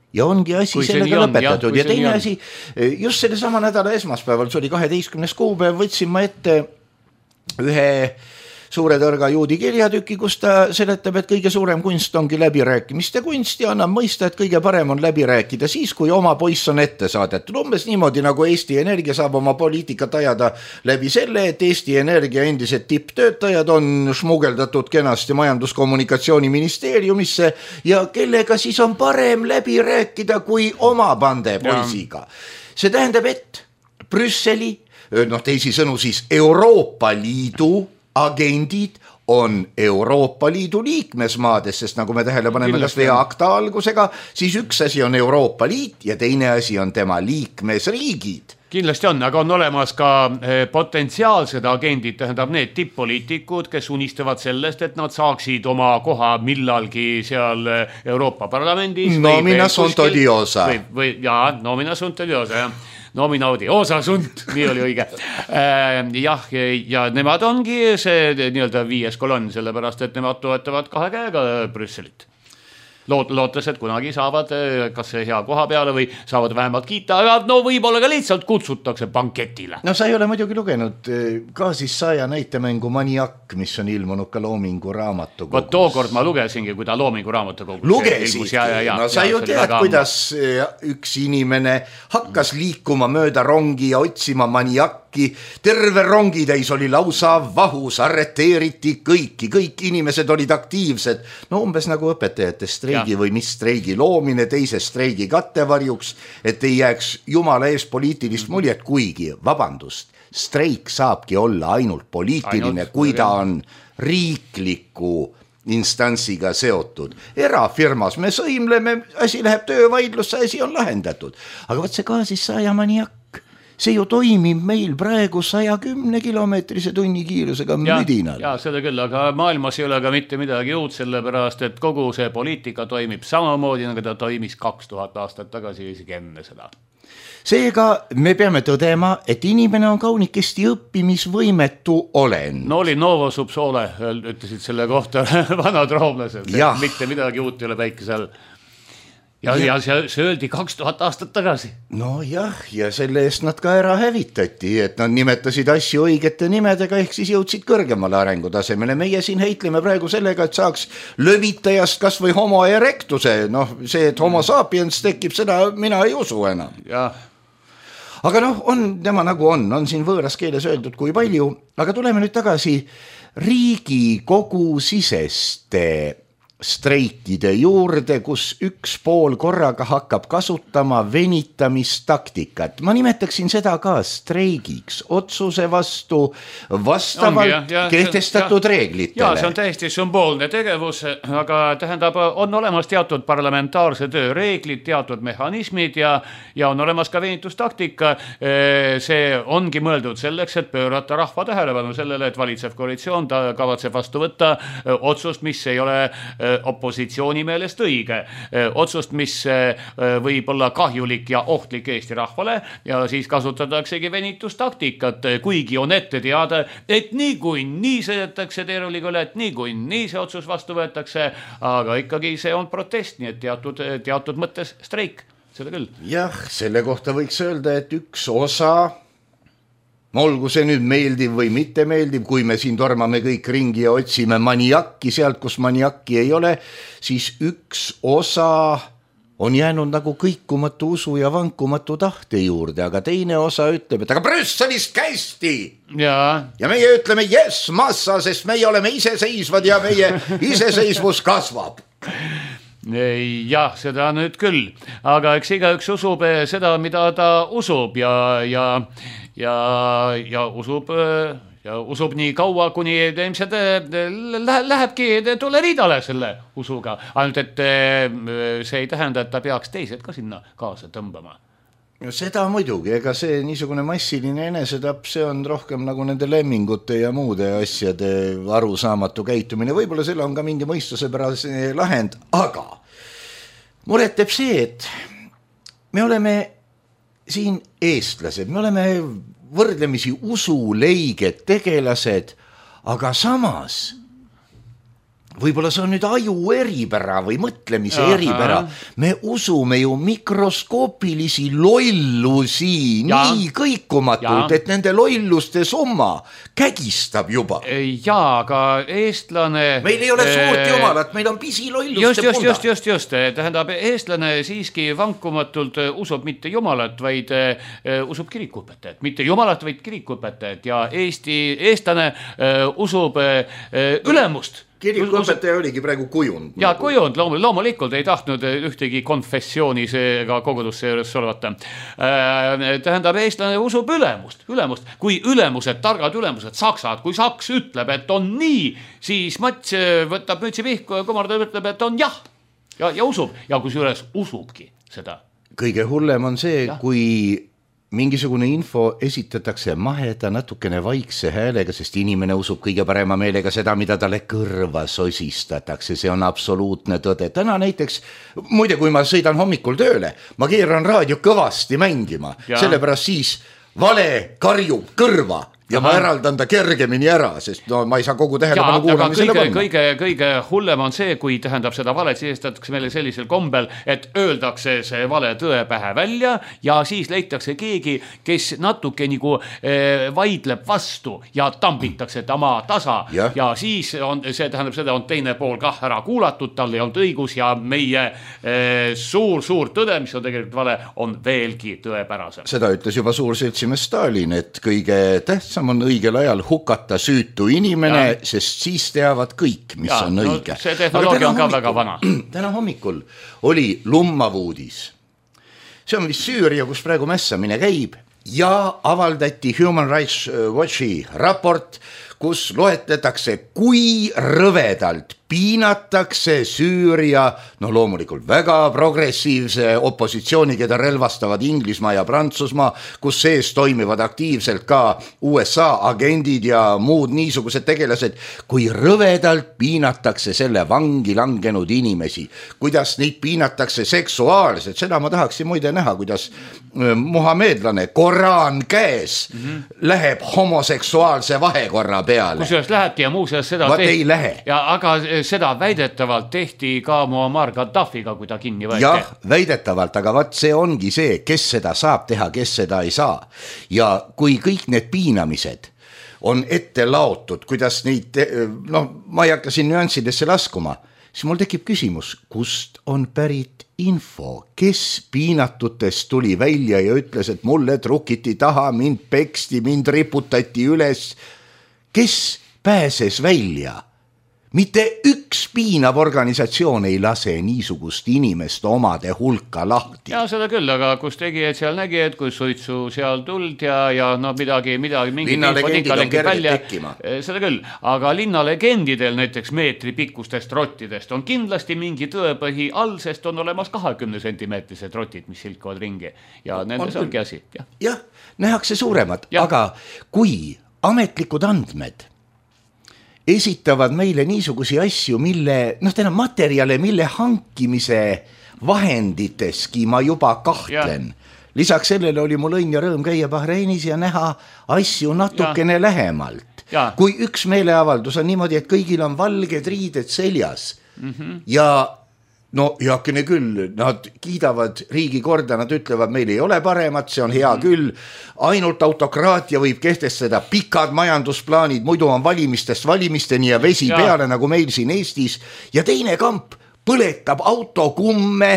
Ja ongi asi kui sellega lõpetatud. Ja, ja teine asi, just selle sama nädala esmaspäeval, see oli kaheteistkümnes kuupäev, võtsin ma ette ühe suure tõrga juudi kirjatüki, kus ta seletab, et kõige suurem kunst ongi läbirääkimiste kunst ja annab mõista, et kõige parem on läbi rääkida siis, kui oma poiss on ette saadetud. Umbes niimoodi, nagu Eesti Energia saab oma poliitikat ajada läbi selle, et Eesti Energia endised tipptöötajad on šmugeldatud kenasti majandus-kommunikatsiooniministeeriumisse ja kellega siis on parem läbi rääkida kui oma pande poisiga. See tähendab, et Brüsseli, noh teisi sõnu siis Euroopa Liidu agendid on Euroopa Liidu liikmesmaades, sest nagu me tähele paneme kas või akta algusega, siis üks asi on Euroopa Liit ja teine asi on tema liikmesriigid. Kindlasti on, aga on olemas ka potentsiaalsed agendid, tähendab need tipp-poliitikud, kes unistavad sellest, et nad saaksid oma koha millalgi seal Euroopa Parlamendis. Nomina sunt odiosa. Või, või, jaa, nomina sunt odiosa, jah. Nomina odiosa sunt, nii oli õige. Jah, ja nemad ongi see nii-öelda viies kolonn, sellepärast, et nemad toetavad kahe käega Brüsselit. Loot, lootes, et kunagi saavad kas hea koha peale või saavad vähemalt kiita, aga no võib-olla ka lihtsalt kutsutakse banketile. No sa ei ole muidugi lugenud ka siis saja näitemängu Maniak, mis on ilmunud ka Loomingu raamatukogus. Vot tookord ma lugesingi, kui ta Loomingu raamatukogus lugesidki, ja, ja, ja, no sa ju tead, kuidas üks inimene hakkas liikuma mööda rongi ja otsima Maniakki, terve rongitäis oli lausa vahus, arreteeriti kõiki, kõik inimesed olid aktiivsed, no umbes nagu õpetajate streigi ja. Või mis streigi loomine teise streigi kattevarjuks, et ei jääks jumala ees poliitilist muljet, kuigi, vabandust, streik saabki olla ainult poliitiline, ainult, kui ta on riikliku instantsiga seotud. Erafirmas me sõimleme, asi läheb töövaidlusse, asi on lahendatud. Aga võt see ka siis saja Maniak. See ju toimib meil praegu saja kümne kilomeetrise tunni kiirusega müdinal. Ja, seda küll, aga maailmas ei ole ka mitte midagi uut, sellepärast, et kogu see poliitika toimib samamoodi, nagu ta toimis kaks tuhat aastat tagasi isegi enne seda. Seega me peame tõdema, et inimene on kaunikesti õppimisvõimetu olen. No oli Novo Subsole, ütlesid selle kohta vanad roomlased, mitte midagi uut ei ole päikesel. Ja, ja, ja see öeldi kaks tuhat aastat tagasi. No jah, ja selle eest nad ka ära hävitati, et nad nimetasid asju õigete nimedega, ehk siis jõudsid kõrgemale arengutasemele. Meie siin heitleme praegu sellega, et saaks lövitajast kas või homo erectuse. Noh, see, et homo sapiens tekib, seda mina ei usu enam. Jah. Aga noh, on tema nagu on, on siin võõras keeles öeldud kui palju, aga tuleme nüüd tagasi Riigikogu siseste streikide juurde, kus üks pool korraga hakkab kasutama venitamistaktikat. Ma nimetaksin seda ka streigiks, otsuse vastu vastavalt ja, ja, kehtestatud ja, reeglitele. Ja, see on täiesti sümboolne tegevus, aga tähendab, on olemas teatud parlamentaarse töö reeglid, teatud mehhanismid ja, ja on olemas ka venitustaktika. See ongi mõeldud selleks, et pöörata rahva tähelepanu sellele, et valitsev koalitsioon ta kavatseb vastu võtta otsust, mis ei ole opositsiooni meelest õige. Otsust, mis võib olla kahjulik ja ohtlik Eesti rahvale ja siis kasutataksegi venitustaktikat, kuigi on ette teada, et nii kui nii sõidetakse teerulikule, et nii kui nii see otsus vastu võetakse, aga ikkagi see on protest, nii et teatud, teatud mõttes streik, seda küll. Jah, selle kohta võiks öelda, et üks osa olgu see nüüd meeldiv või mitte meeldiv, kui me siin tormame kõik ringi ja otsime Maniakki sealt, kus Maniakki ei ole, siis üks osa on jäänud nagu kõikumatu usu ja vankumatu tahte juurde, aga teine osa ütleb, et aga Brüsselist kästi! Ja. ja meie ütleme yes, massa, sest meie oleme iseseisvad ja meie iseseisvus kasvab. Jah, seda nüüd küll, aga eks igaüks usub seda, mida ta usub ja, ja, ja, ja usub, ja usub nii kaua, kuni ilmselt lähebki tuleriidale selle usuga, ainult et see ei tähenda, et ta peaks teised ka sinna kaasa tõmbama. Seda muidugi, ega see niisugune massiline enesetapp, see on rohkem nagu nende lemmingute ja muude asjade arusaamatu käitumine. Võib-olla selle on ka mingi mõistusepärase lahend, aga muret teeb see, et me oleme siin eestlased, me oleme võrdlemisi usuleiged tegelased, aga samas võib-olla see on nüüd aju eripära või mõtlemise Aha. eripära. Me usume ju mikroskoopilisi lollusi ja. Nii kõikumatult, ja. Et nende lolluste summa kägistab juba. Jaa, aga eestlane... Meil ei ole suurt jumalat, meil on pisi lolluste just, just, punda. Just, just, just. Tähendab, eestlane siiski vankumatult usub mitte jumalat, vaid usub kirikuõpetajat. Mitte jumalat, vaid kirikuõpetajat. Ja Eesti, eestlane usub ülemust. kirikuõpetaja oligi praegu kujund. Ja kujund, loomulikult ei tahtnud ühtegi konfessiooni ega kogudusse juures solvata. Tähendab, eestlane usub ülemust, ülemust. Kui ülemused, targad ülemused, saksad, kui saks ütleb, et on nii, siis Mats võtab mütsi pihku ja kumardab ütleb, et on jah. Ja, ja usub. Ja kus juures usubki seda. Kõige hullem on see, ja. kui mingisugune info esitatakse maheda natukene vaikse häälega, sest inimene usub kõige parema meelega seda, mida talle kõrva sosistatakse. See on absoluutne tõde. Täna näiteks, muide, kui ma sõidan hommikul tööle, ma keeran raadio kõvasti mängima, ja. Sellepärast siis vale karjub kõrva. Ja Aha. ma eraldan ta kergemini ära, sest no, ma ei saa kogu tähelepanu kuulamisele panna. Kõige, kõige hullem on see, kui tähendab seda valet sisestatakse meile sellisel kombel, et öeldakse see vale tõe pähe välja ja siis leitakse keegi, kes natuke nagu eh, vaidleb vastu ja tambitakse tama tasa ja, ja siis on, see tähendab seda, on teine pool kah ära kuulatud, tal ei olnud õigus ja meie eh, suur, suur tõde, mis on tegelikult vale, on veelgi tõepärasem. Seda ütles juba suur seltsimees Stalin, et kõige tähtsam on õigel ajal hukata süütu inimene, ja. Sest siis teavad kõik, mis ja, on õige. No, see tehnoloogia on ka hommikul, väga vana. Täna hommikul oli lummav uudis. See on vist Süüria, kus praegu mässamine käib ja avaldati Human Rights Watchi raport, kus loetletakse, kui rõvedalt piinatakse Süüria, no loomulikult väga progressiivse opositsiooni, keda relvastavad Inglismaa ja Prantsusmaa, kus sees toimivad aktiivselt ka U S A agendid ja muud niisugused tegelased, kui rõvedalt piinatakse selle vangi langenud inimesi, kuidas neid piinatakse seksuaalselt, seda ma tahaksin muide näha, kuidas muhamedlane Koraan käes mm-hmm. läheb homoseksuaalse vahekorra peale. Kusjuures lähebki ja muuseas seda Vaat tehti. Ei lähe. Ja, aga seda väidetavalt tehti ka Muammar Gaddafiga, kui ta kinni võeti. Jah, väidetavalt, aga vaat see ongi see, kes seda saab teha, kes seda ei saa. Ja kui kõik need piinamised on ette laotud, kuidas neid, no ma ei hakka siin nüanssidesse laskuma, siis mul tekib küsimus, kust on pärit info, kes piinatutest tuli välja ja ütles, et mulle trukiti taha, mind peksti, mind riputati üles. Kes pääses välja? Mitte üks piinav organisatsioon ei lase niisugust inimest omade hulka lahti. Ja seda küll, aga kus tegijad seal nägi, et kui suitsu seal tuld ja, ja no midagi, midagi, mingi linnalegendid on kergelt tekkima. Seda küll, aga linnalegendidel näiteks meetri pikkustest rottidest on kindlasti mingi tõepõhi all, sest on olemas kahekümne sentimeetrised rotid, mis silkuvad ringi ja nendes on, ongi asi. Jah, ja, nähakse suuremad, ja. Aga kui ametlikud andmed esitavad meile niisugusi asju, mille, noh, täna materjale, mille hankimise vahenditeski ma juba kahtlen. Ja. Lisaks sellele oli mul õnn ja rõõm käia Bahreinis ja näha asju natukene ja. Lähemalt. Ja. Kui üks meeleavaldus on niimoodi, et kõigil on valged riided seljas mm-hmm. ja no heakene küll, nad kiidavad riigi korda, nad ütlevad, meil ei ole paremat, see on hea mm. küll, ainult autokraatia võib kehtestada pikad majandusplaanid, muidu on valimistest valimisteni ja vesi ja. Peale, nagu meil siin Eestis, ja teine kamp põletab autokumme,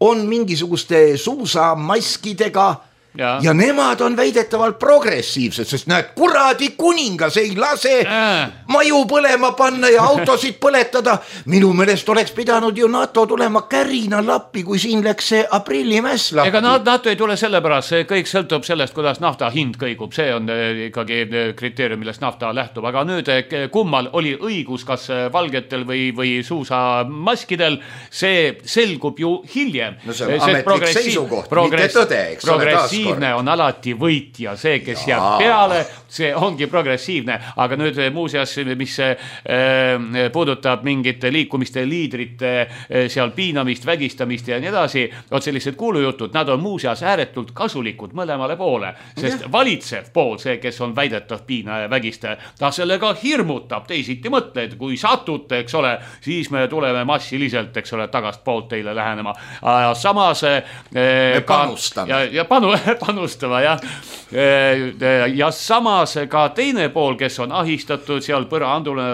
on mingisuguste suusamaskidega ja. Ja nemad on väidetavalt progressiivsed, sest näed, kuradi kuningas ei lase äh. maju põlema panna ja autosid põletada. Minu meelest oleks pidanud ju NATO tulema kärina lappi, kui siin läks see aprillimäss lappi. Ega NATO ei tule sellepärast, see kõik sõltub sellest, kuidas nafta hind kõigub. See on ikkagi kriteerium, millest nafta lähtub. Aga nüüd kummal oli õigus, kas valgetel või, või suusamaskidel, see selgub ju hiljem. No see on ametlik seisukoht, mitte tõde, eks ole taas. On alati võitja, see, kes ja. Jääb peale, see ongi progressiivne, aga nüüd muuseas, mis äh, puudutab mingite liikumiste liidrite äh, seal piinamist, vägistamist ja nii edasi, on sellised kuulujutud, nad on muuseas ääretult kasulikud mõlemale poole, sest ja. Valitsev pool, see, kes on väidetav piina ja vägistaja, ta sellega hirmutab, teisiti mõtled, kui satute, eks ole, siis me tuleme massiliselt, eks ole, tagast poolt teile lähenema. Samas äh, me panustame. Ja, ja panu, panustama, jah. Ja samas ka teine pool, kes on ahistatud, seal põrandune,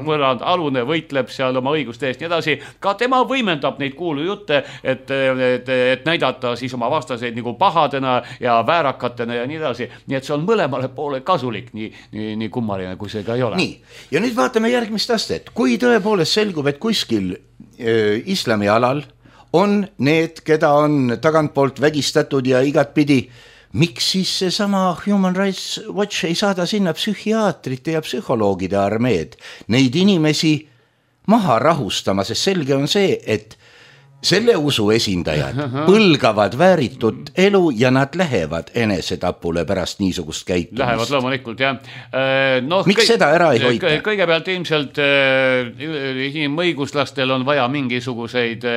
põrandalune võitleb seal oma õiguste eest nii edasi, ka tema võimendab neid kuulu jutte, et, et, et näidata siis oma vastaseid nagu pahadena ja väärakatena ja nii edasi. Nii et see on mõlemale poole kasulik, nii, nii, nii kummaline, kui see ka ei ole. Nii, ja nüüd vaatame järgmist astet. Kui tõepoolest selgub, et kuskil äh, islami alal on need, keda on tagantpoolt vägistatud ja igatpidi, miks siis seesama Human Rights Watch ei saada sinna psühhiaatrite ja psühholoogide armeed neid inimesi maha rahustama, sest selge on see, et selle usu esindajad põlgavad vääritud elu ja nad lähevad enesetapule pärast niisugust käitumist. Lähevad loomulikult, jah. No, miks kõi- seda ära ei hoita? Kõigepealt ilmselt inimõiguslastel on vaja mingisuguseid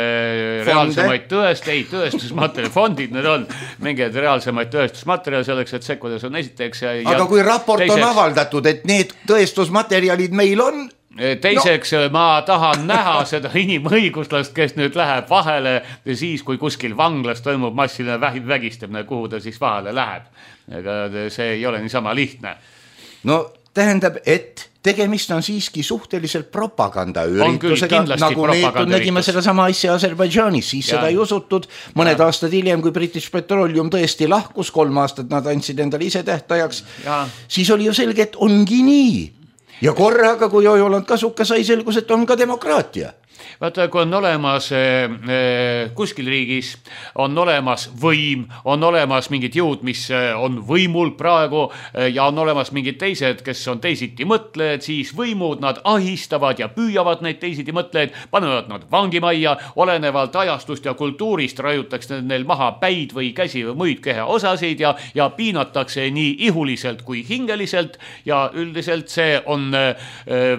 reaalsemaid tõest, ei, tõestusmaterjali, fondid need on, mingeid reaalsemaid tõestusmaterjali selleks, et sekkudes on esiteks. Ja, aga kui raport teiseks, on avaldatud, et need tõestusmaterjalid meil on, teiseks no. Ma tahan näha seda inimõiguslast, kes nüüd läheb vahele siis, kui kuskil vanglas toimub massiline vägistamine, kuhu ta siis vahele läheb. Aga see ei ole niisama lihtne. No tähendab, et tegemist on siiski suhteliselt propagandaüritusega, nagu neetud nägime seda sama asja Aserbaidžaanis, siis ja. Seda ei usutud. Mõned ja. Aastad hiljem, kui British Petroleum tõesti lahkus, kolm aastat nad andsid endale ise tähtajaks, ja. Siis oli ju selge, et ongi nii. Ja korraga, kui Ojoland kasuka sai, selgus, et on ka demokraatia. Vaata, kui on olemas eh, kuskil riigis, on olemas võim, on olemas mingid jõud, mis on võimul praegu eh, ja on olemas mingid teised, kes on teisiti mõtlejad, siis võimud nad ahistavad ja püüavad neid teisiti mõtlejaid, panevad nad vangimajja, olenevalt ajastust ja kultuurist rajutakse neil maha päid või käsi või muid kehaosasid ja, ja piinatakse nii ihuliselt kui hingeliselt ja üldiselt see on eh,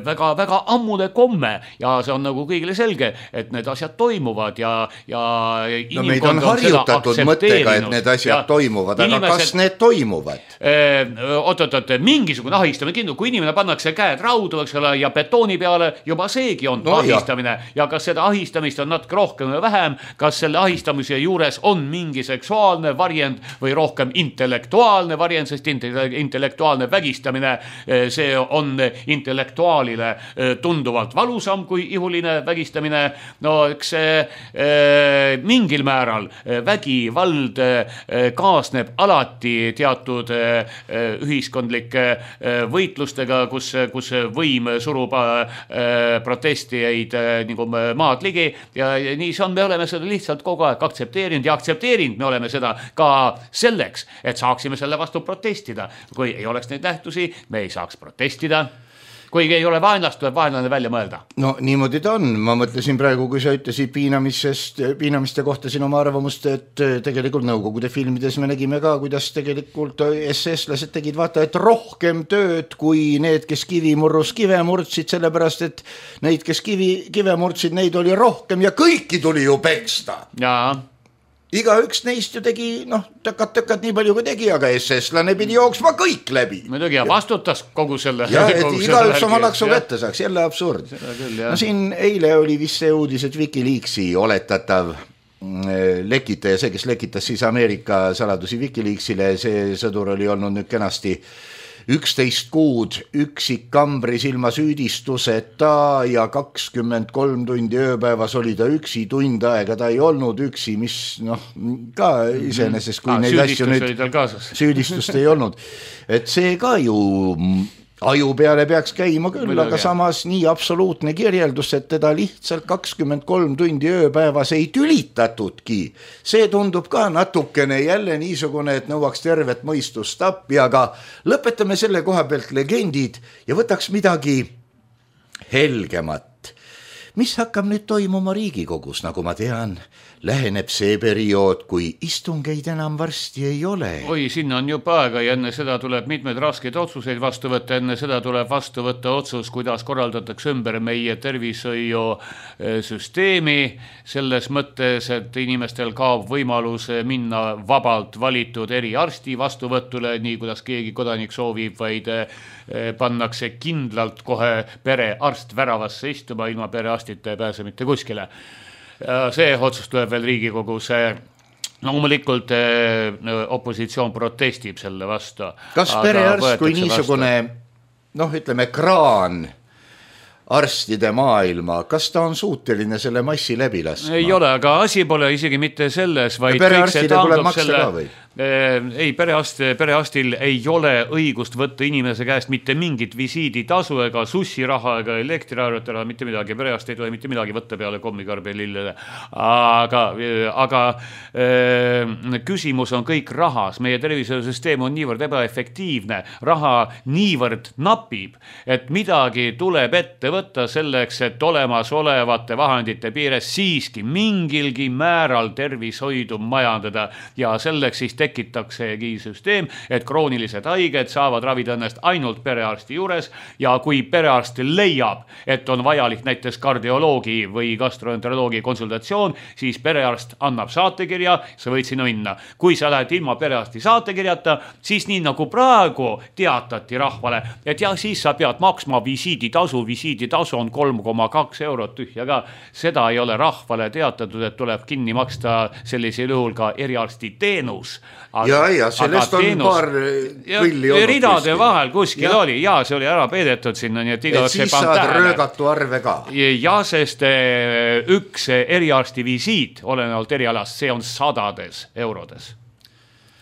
väga, väga ammune komme ja see on nagu kõigile selge, et need asjad toimuvad ja, ja no meid on harjutatud mõttega, et need asjad ja toimuvad, aga inimesed, kas need toimuvad? Oot-oot-oot, mingisugune ahistamine kindu, kui inimene pannakse käed raudu, eks ole, ja betooni peale, juba seegi on no, ahistamine ja. Ja kas seda ahistamist on natuke rohkem või vähem, kas selle ahistamise juures on mingi seksuaalne variant või rohkem intellektuaalne variant, sest intellektuaalne vägistamine, see on intellektuaalile tunduvalt valusam kui ihuline vägistamine, no eks äh, mingil määral vägivald äh, kaasneb alati teatud äh, ühiskondlike äh, võitlustega, kus, kus võim surub äh, protestijaid äh, nagu maad ligi ja, ja nii see on, me oleme seda lihtsalt kogu aeg aktsepteerinud ja aktsepteerinud, me oleme seda ka selleks, et saaksime selle vastu protestida. Kui ei oleks neid nähtusi, me ei saaks protestida. Kui ei ole vaenlast, tuleb vaenlane välja mõelda. No niimoodi ta on. Ma mõtlesin praegu, kui sa ütlesid piinamisest, piinamiste kohta siin oma arvamust, et tegelikult Nõukogude filmides me nägime ka, kuidas tegelikult S S-lased tegid vaata, et rohkem tööd kui need, kes kivimurrus kive murdsid, sellepärast, et neid, kes kivi, kive murdsid, neid oli rohkem ja kõiki tuli ju peksta. Jaa. Iga üks neist ju tegi, noh, tõkat-tõkat nii palju kui tegi, aga S S-lane pidi jooksma kõik läbi. Muidugi, ja vastutas kogu selle. Ja, et iga üks oma laksu kätte saaks, jälle absurd. Küll, no siin eile oli vist see uudis, et Wikileaksi oletatav lekitaja, see, kes lekitas siis Ameerika saladusi Wikileaksile, see sõdur oli olnud nüüd kenasti üksteist kuud üksik kambris ilma süüdistuseta ja kakskümmend kolm tundi ööpäevas oli ta üksi, tund aega ta ei olnud üksi, mis noh, ka iseenesest, kui ah, neid asju nüüd süüdistust ei olnud, et see ka ju aju peale peaks käima küll, Mõlega. Aga samas nii absoluutne kirjeldus, et teda lihtsalt kakskümmend kolm tundi ööpäevas ei tülitatudki. See tundub ka natukene jälle niisugune, et nõuaks tervet mõistust appi, aga lõpetame selle koha pealt legendid ja võtaks midagi helgemat. Mis hakkab nüüd toimuma Riigikogus, nagu ma tean, läheneb see periood, kui istungeid enam varsti ei ole. Oi, sinna on juba aega ja enne seda tuleb mitmed raskeid otsuseid vastu võtta, enne seda tuleb vastu võtta otsus, kuidas korraldatakse ümber meie tervishoiusüsteemi, selles mõttes, et inimestel kaob võimalus minna vabalt valitud eriarsti vastuvõtule, nii kuidas keegi kodanik soovib, vaid pannakse kindlalt kohe perearst väravasse istuma, ilma perearstita ei pääse mitte kuskile. See otsus tuleb veel Riigikogus loomulikult äh, opositsioon protestib selle vastu. Kas perearst kui niisugune, noh ütleme, kraan arstide maailma, kas ta on suuteline selle massi läbi laskma? Ei ole, aga asi pole isegi mitte selles, vaid kõik see taandub selle... Ei, perearst, perearstil ei ole õigust võtta inimese käest mitte mingit visiiditasu ega sussiraha ega elektriarvetele, mitte midagi. Perearst ei tule mitte midagi võtta peale kommikarbi lillele. Aga, aga äh, küsimus on kõik rahas. Meie tervisesüsteem on niivõrd ebaefektiivne. Raha niivõrd napib, et midagi tuleb ette võtta selleks, et olemas olevate vahendite piires siiski mingilgi määral tervishoidu majandada ja selleks siis tekitaksegi süsteem, et kroonilised haiged saavad ravida ennast ainult perearsti juures ja kui perearst leiab, et on vajalik näiteks kardioloogi või gastroenteroloogi konsultatsioon, siis perearst annab saatekirja, sa võid sinna minna. Kui sa lähed ilma perearsti saatekirjata, siis nii nagu praegu teatati rahvale, et jah, siis sa pead maksma visiiditasu, visiiditasu on kolm koma kaks eurot tühja ka. Seda ei ole rahvale teatatud, et tuleb kinni maksta sellisel juhul ka eriarsti teenus. Aga, ja, ja, sellest on teenus, paar kõlli olnud. Ridade kuskil. Vahel kuskil ja. Oli, ja see oli ära peedetud sinna. Nii et, et siis saad röögatu arve ka. Ja, sest üks eriarsti visiit, olenevalt erialast, see on sadades eurodes.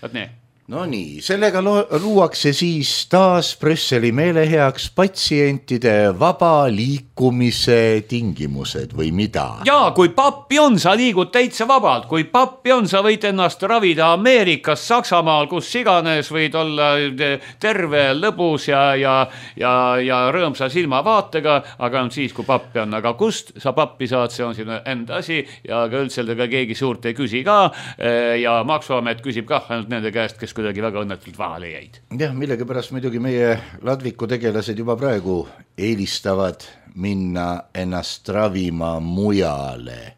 Võt nii. No nii, sellega luuakse siis taas Brüsseli meeleheaks patsientide vaba liikumise tingimused või mida? Jaa, kui pappi on, sa liigud täitsa vabalt. Kui pappi on, sa võid ennast ravida Ameerikas, Saksamaal, kus iganes võid olla terve, lõbus ja, ja, ja, ja rõõmsa silmavaatega, aga on siis, kui pappi on. Aga kust sa pappi saad, see on sinu enda asi ja ka üldseldaga keegi suurt ei küsi ka ja Maksuamet küsib kah ainult nende käest, kes kuidagi väga õnnetult vahale jäid. Jah, millega pärast muidugi meie ladviku tegelased juba praegu eelistavad minna ennast ravima mujale.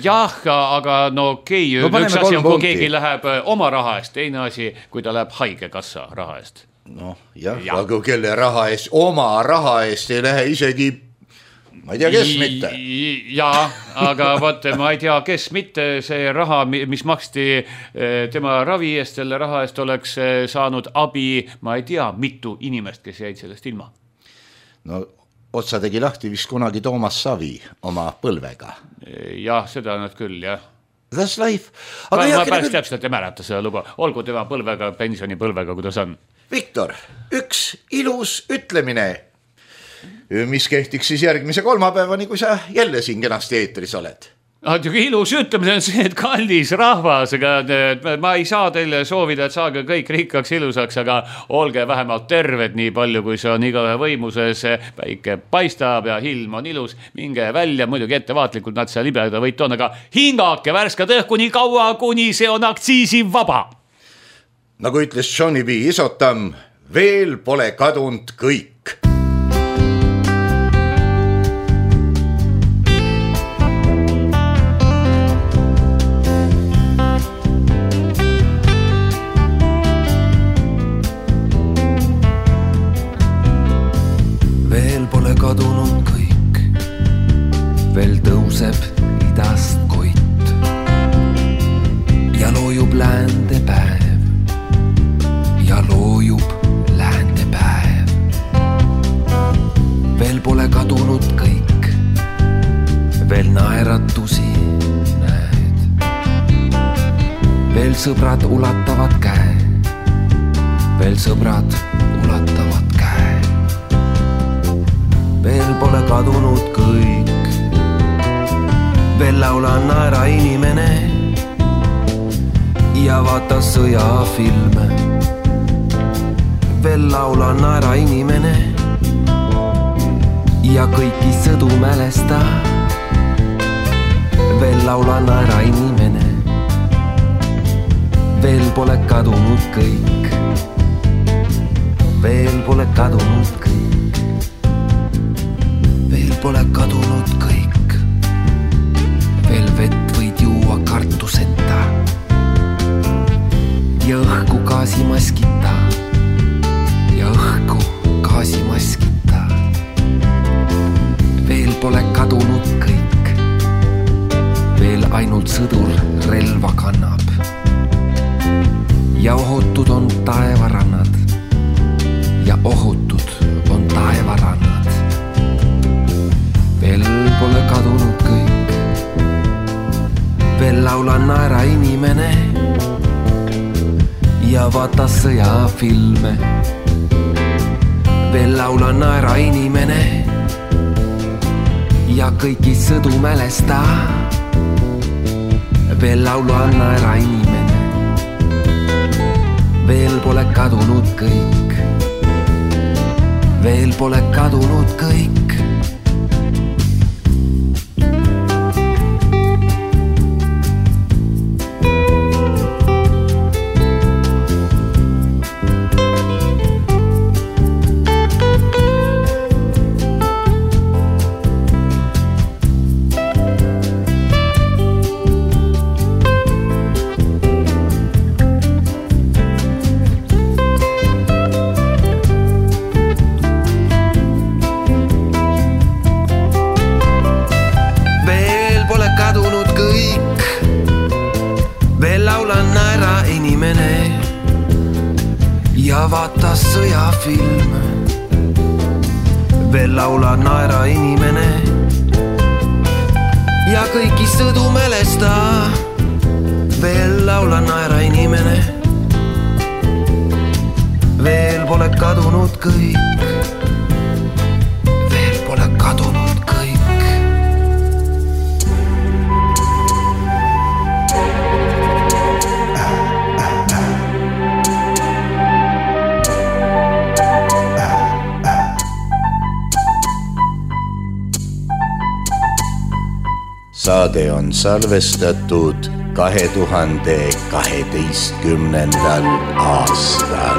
Jah, aga no okei, okay, no, üks asi on, kui keegi läheb oma raha eest, teine asi, kui ta läheb haigekassa raha eest. Noh, jah, ja. Aga kelle raha eest, oma raha eest ei lähe isegi ma ei tea, kes mitte. Jaa, aga vaata, ma ei tea, kes mitte. See raha, mis maksti tema ravi eest, selle raha eest oleks saanud abi, ma ei tea, mitu inimest, kes jäid sellest ilma. No otsa tegi lahti vist kunagi Toomas Savi oma põlvega. Jah, seda nad küll, jah. That's life. Aga ma, ma päris täpselt ei mäleta seda lugu. Olgu tema põlvega, pensionipõlvega, kuidas on. Viktor, üks ilus ütlemine, mis kehtiks siis järgmise kolmapäevani, kui sa jälle siin kenasti eetris oled. Ilus ütlemine on see, et kallis rahvas, aga ma ei saa teile soovida, et saage kõik rikkaks ilusaks, aga olge vähemalt terved nii palju, kui see on igaühe võimuses. Päike paistab ja ilm on ilus, minge välja, muidugi ettevaatlikult nad seal libeda võit on, aga hingake värskad õhku nii kaua, kuni see on aktsiisi vaba. Nagu ütles Johnny B. Isotam, veel pole kadunud kõik. Kadunud kõik, veel tõuseb idast koit ja loojub läände päev ja loojub läände päev. Veel pole kadunud kõik, veel naeratusi näed, veel sõbrad ulatavad käe, veel sõbrad ulatavad käe. Veel pole kadunud kõik, veel laula naera inimene ja vaata sõjafilme. Veel laula naera inimene ja kõiki sõdu mälesta. Veel laula naera inimene, veel pole kadunud kõik, veel pole kadunud kõik. Veel pole kadunud kõik, veel vett võid juua kartuseta ja õhku gaasimaskita ja õhku gaasimaskita. Veel pole kadunud kõik, veel ainult ainult sõdur relva kannab ja ohutud on taevarannad ja ohutud on taevarannad. Veel pole kadunud kõik, veel laula naera inimene ja vaata sõjafilme. Veel laula naera inimene ja kõiki sõdu mälesta. Veel laula naera inimene, veel pole kadunud kõik, veel pole kadunud kõik. Vaata sõjafilm, veel laula naera inimene ja kõiki sõdu mälesta. Veel laula naera inimene, veel pole kadunud kõik, veel pole kadunud kõik. Saade on salvestatud kahe tuhande kaheteistkümnendal aastal.